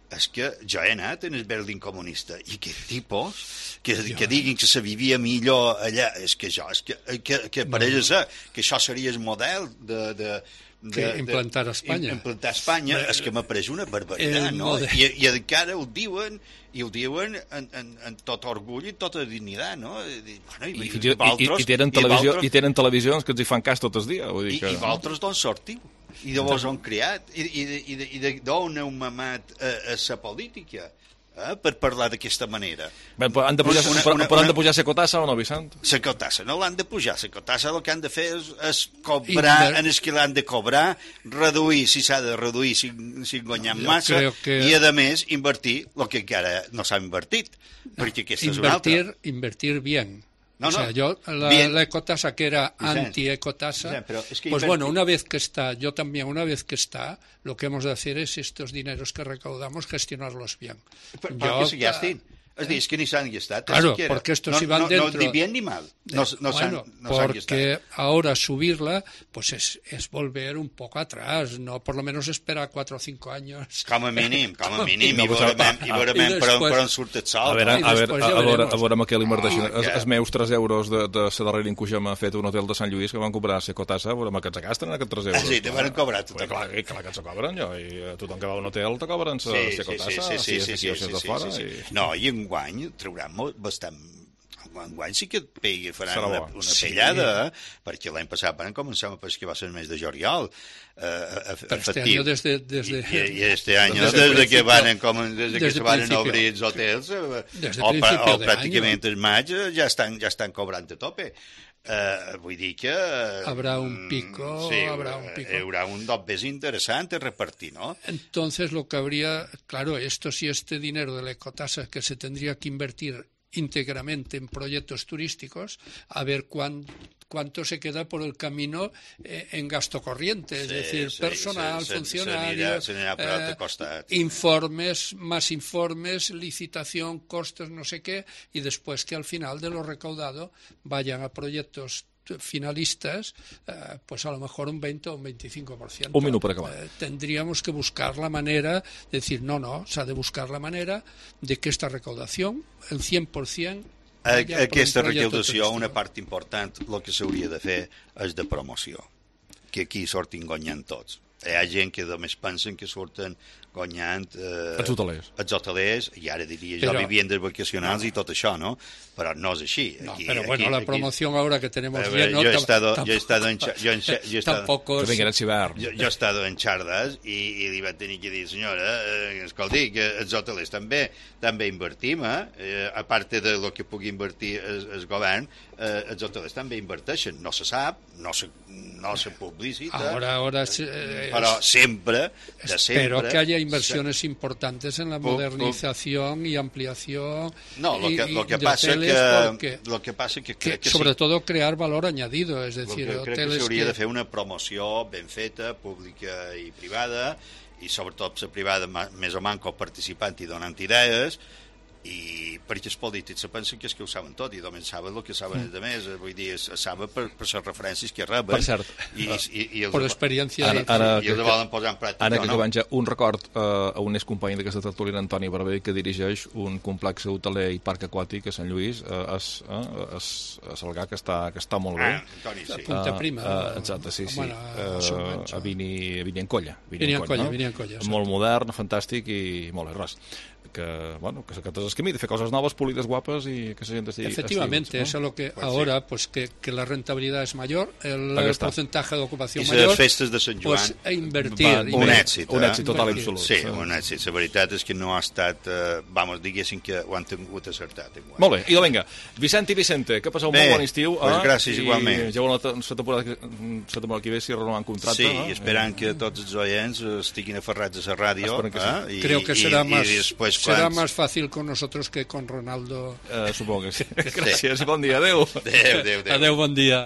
és que jo he anat en el Berlín comunista i que tipus que, que diguin que se vivia millor allà, és que jo, és que, que, que per no. ells que això seria el model de... de de, que implantar a Espanya. Implantar a Espanya, és que m'apareix una barbaritat, no? I, I encara ho diuen, i ho diuen en, en, en tot orgull i tota dignitat, no? I, bueno, i, I, i, i, i, tenen televisió, i tenen televisions que ens hi fan cas tot el dia. Vull dir que... I, i vosaltres d'on sortiu? I de vos on criat? I, i, i d'on heu mamat a, a la política? Eh, per parlar d'aquesta manera. Ben, però han de pujar, una, una, però han de pujar la cotassa o no, Vicent? La cotassa, no l'han de pujar. La cotassa el que han de fer és, és cobrar en el que l'han de cobrar, reduir, si s'ha de reduir, si, si guanyem massa, que... i a més invertir el que encara no s'ha invertit, perquè aquesta és una altra. Invertir bien. No, o sea, no. yo la, la ecotasa que era anti-ecotasa, es que pues bueno, una vez que está, yo también, una vez que está, lo que hemos de hacer es estos dineros que recaudamos gestionarlos bien. ¿Para yo, qué se gasten? Es decir, es que ni se han gastado. Claro, porque estos no, iban no, dentro... No, ni bien ni mal. No, no bueno, han, no porque ahora subirla, pues es, es volver un poco atrás, no por lo menos esperar cuatro o cinco años. Com a mínim, com a mínim, i veurem per on surt el sol. A veure, a veure, a veure, a veure amb què l'inverteixen. Els meus tres euros de la darrera incursió m'ha fet un hotel de Sant Lluís que van cobrar la cotassa, a veure amb què ens gasten aquests tres euros. Ah, sí, te van cobrar tot. Clar, clar que ens cobren, jo, i tothom que va a un hotel te cobren la cotassa, si és d'aquí o si és de fora. No, i enguany trauran bastant enguany sí que pegui, faran Serà una, bo. una Sí. pellada, eh? Perquè l'any passat van començar a pescar, va ser el mes de juliol. Eh, Pero este año desde, desde, y, y este año desde, desde, desde que van com, desde, desde que se van a principio. obrir els hotels eh, Desde o, pa, principio o de pràcticament año. el maig eh, ja estan, ja estan cobrant a tope. Uh, vull dir que... Habrá un pico, sí, habrá un pico. Hi haurà un dobbes interessant a repartir, ¿no? Entonces lo que habría, claro, esto sí, este dinero de la ecotasa que se tendría que invertir íntegramente en proyectos turísticos, a ver cuán, cuánto se queda por el camino eh, en gasto corriente, es Sí, decir, sí, personal, se- se- funcionarios, se anirà- se anirà per altre eh, costat. informes, más informes, licitación, costes, no sé qué, y después que al final de lo recaudado vayan a proyectos finalistas, eh, pues a lo mejor un veinte o un veinticinco por ciento. Un minut per acabar. Eh, tendríamos que buscar la manera de decir, no, no, se ha de buscar la manera de que esta recaudación, el cien por ciento, A, vaya por aquesta un proyecto recaudació, turístico. una part important, el que s'hauria de fer és de promoció, que aquí sortin guanyant tots. Hi ha gent que només pensen que surten guanyant eh, Els hotelers. els hotelers, i ara diria jo Però- viviendes vacacionals i tot això, no? Però no és així. No, Aquí, pero bueno, aquí, la aquí- promoción ahora que tenemos A ver, lleno... yo he tam- estado, tampoco- yo he estado en, Cha- yo en Cha- yo he estado, tampoco es- jo, jo he estado en Xardes i, i li vaig tenir que dir, senyora, eh, escolti, que els hotelers també també invertim, eh? eh a part de lo que pugui invertir el, el govern, eh, els hotelers també inverteixen. No se sap, no se, no se publicita, Ahora, ahora es- eh, però es- sempre, de Espero sempre... que haya inversiones importantes en la Pu- pu- modernización y ampliación No, lo y- que, y lo que de pasa hoteles, que, porque- lo que pasa que, que crec que sobre sí. todo crear valor añadido, es decir, Crec que hoteles s'hauria que- de fer una promoció ben feta, pública i privada, i sobretot la privada ma- més o manco participant i donant idees, i perquè els polítics se pensen que és que ho saben tot i només saben el que saben els altres, vull dir, es saben per, per les referències que reben. Per cert, i, i, i els, per experiència Ara, i, ara, i els volen posar en pràctica, ara que no? acabem ja, un record eh, a un excompany d'aquesta tertúlia, Antoni Barber, que dirigeix un complex hoteler i parc aquàtic a Sant Lluís, eh, es, eh, es, a Salgà, que està, que està molt bé. Ah, Antoni, sí. A Punta Prima. Eh, exacte, sí, sí. Bueno, a Eh, Solmancho. a Vini, a Vini en Colla. Vini en Colla, no? Vini en Colla, exacte. Molt modern, fantàstic i molt bé, res. Que, bueno, que s'acates el camí de fer coses noves, polides, guapes i que la gent estigui... Efectivamente, estigui, eso es lo que Pues ahora, pues que, que la rentabilidad es mayor, el, Aquí el está. porcentaje de ocupación I mayor, les festes de Sant Joan, pues a invertir. van- un invertir. èxit, un eh? èxit total i Invertir. absolut. Sí, un èxit. La veritat és que no ha estat... Eh, vamos, diguéssim que ho han tingut acertat. Enguany. Molt bé, idò, vinga. Vicent i Vicente, que passeu un Bé, molt bon estiu. pues eh? gràcies, I igualment. ja la, la temporada que, la temporada que ve si renoven contracte. Sí, eh? i esperant que tots els oients eh, estiguin aferrats a la ràdio. Esperem que sí. Eh? I, Creo que i, será i, más, i després, será quan... más fácil con nosotros que con Ronaldo. Eh, supongo que sí. Gràcies i bon dia. Adéu. Adéu, adéu, adéu. Adeu, bon dia.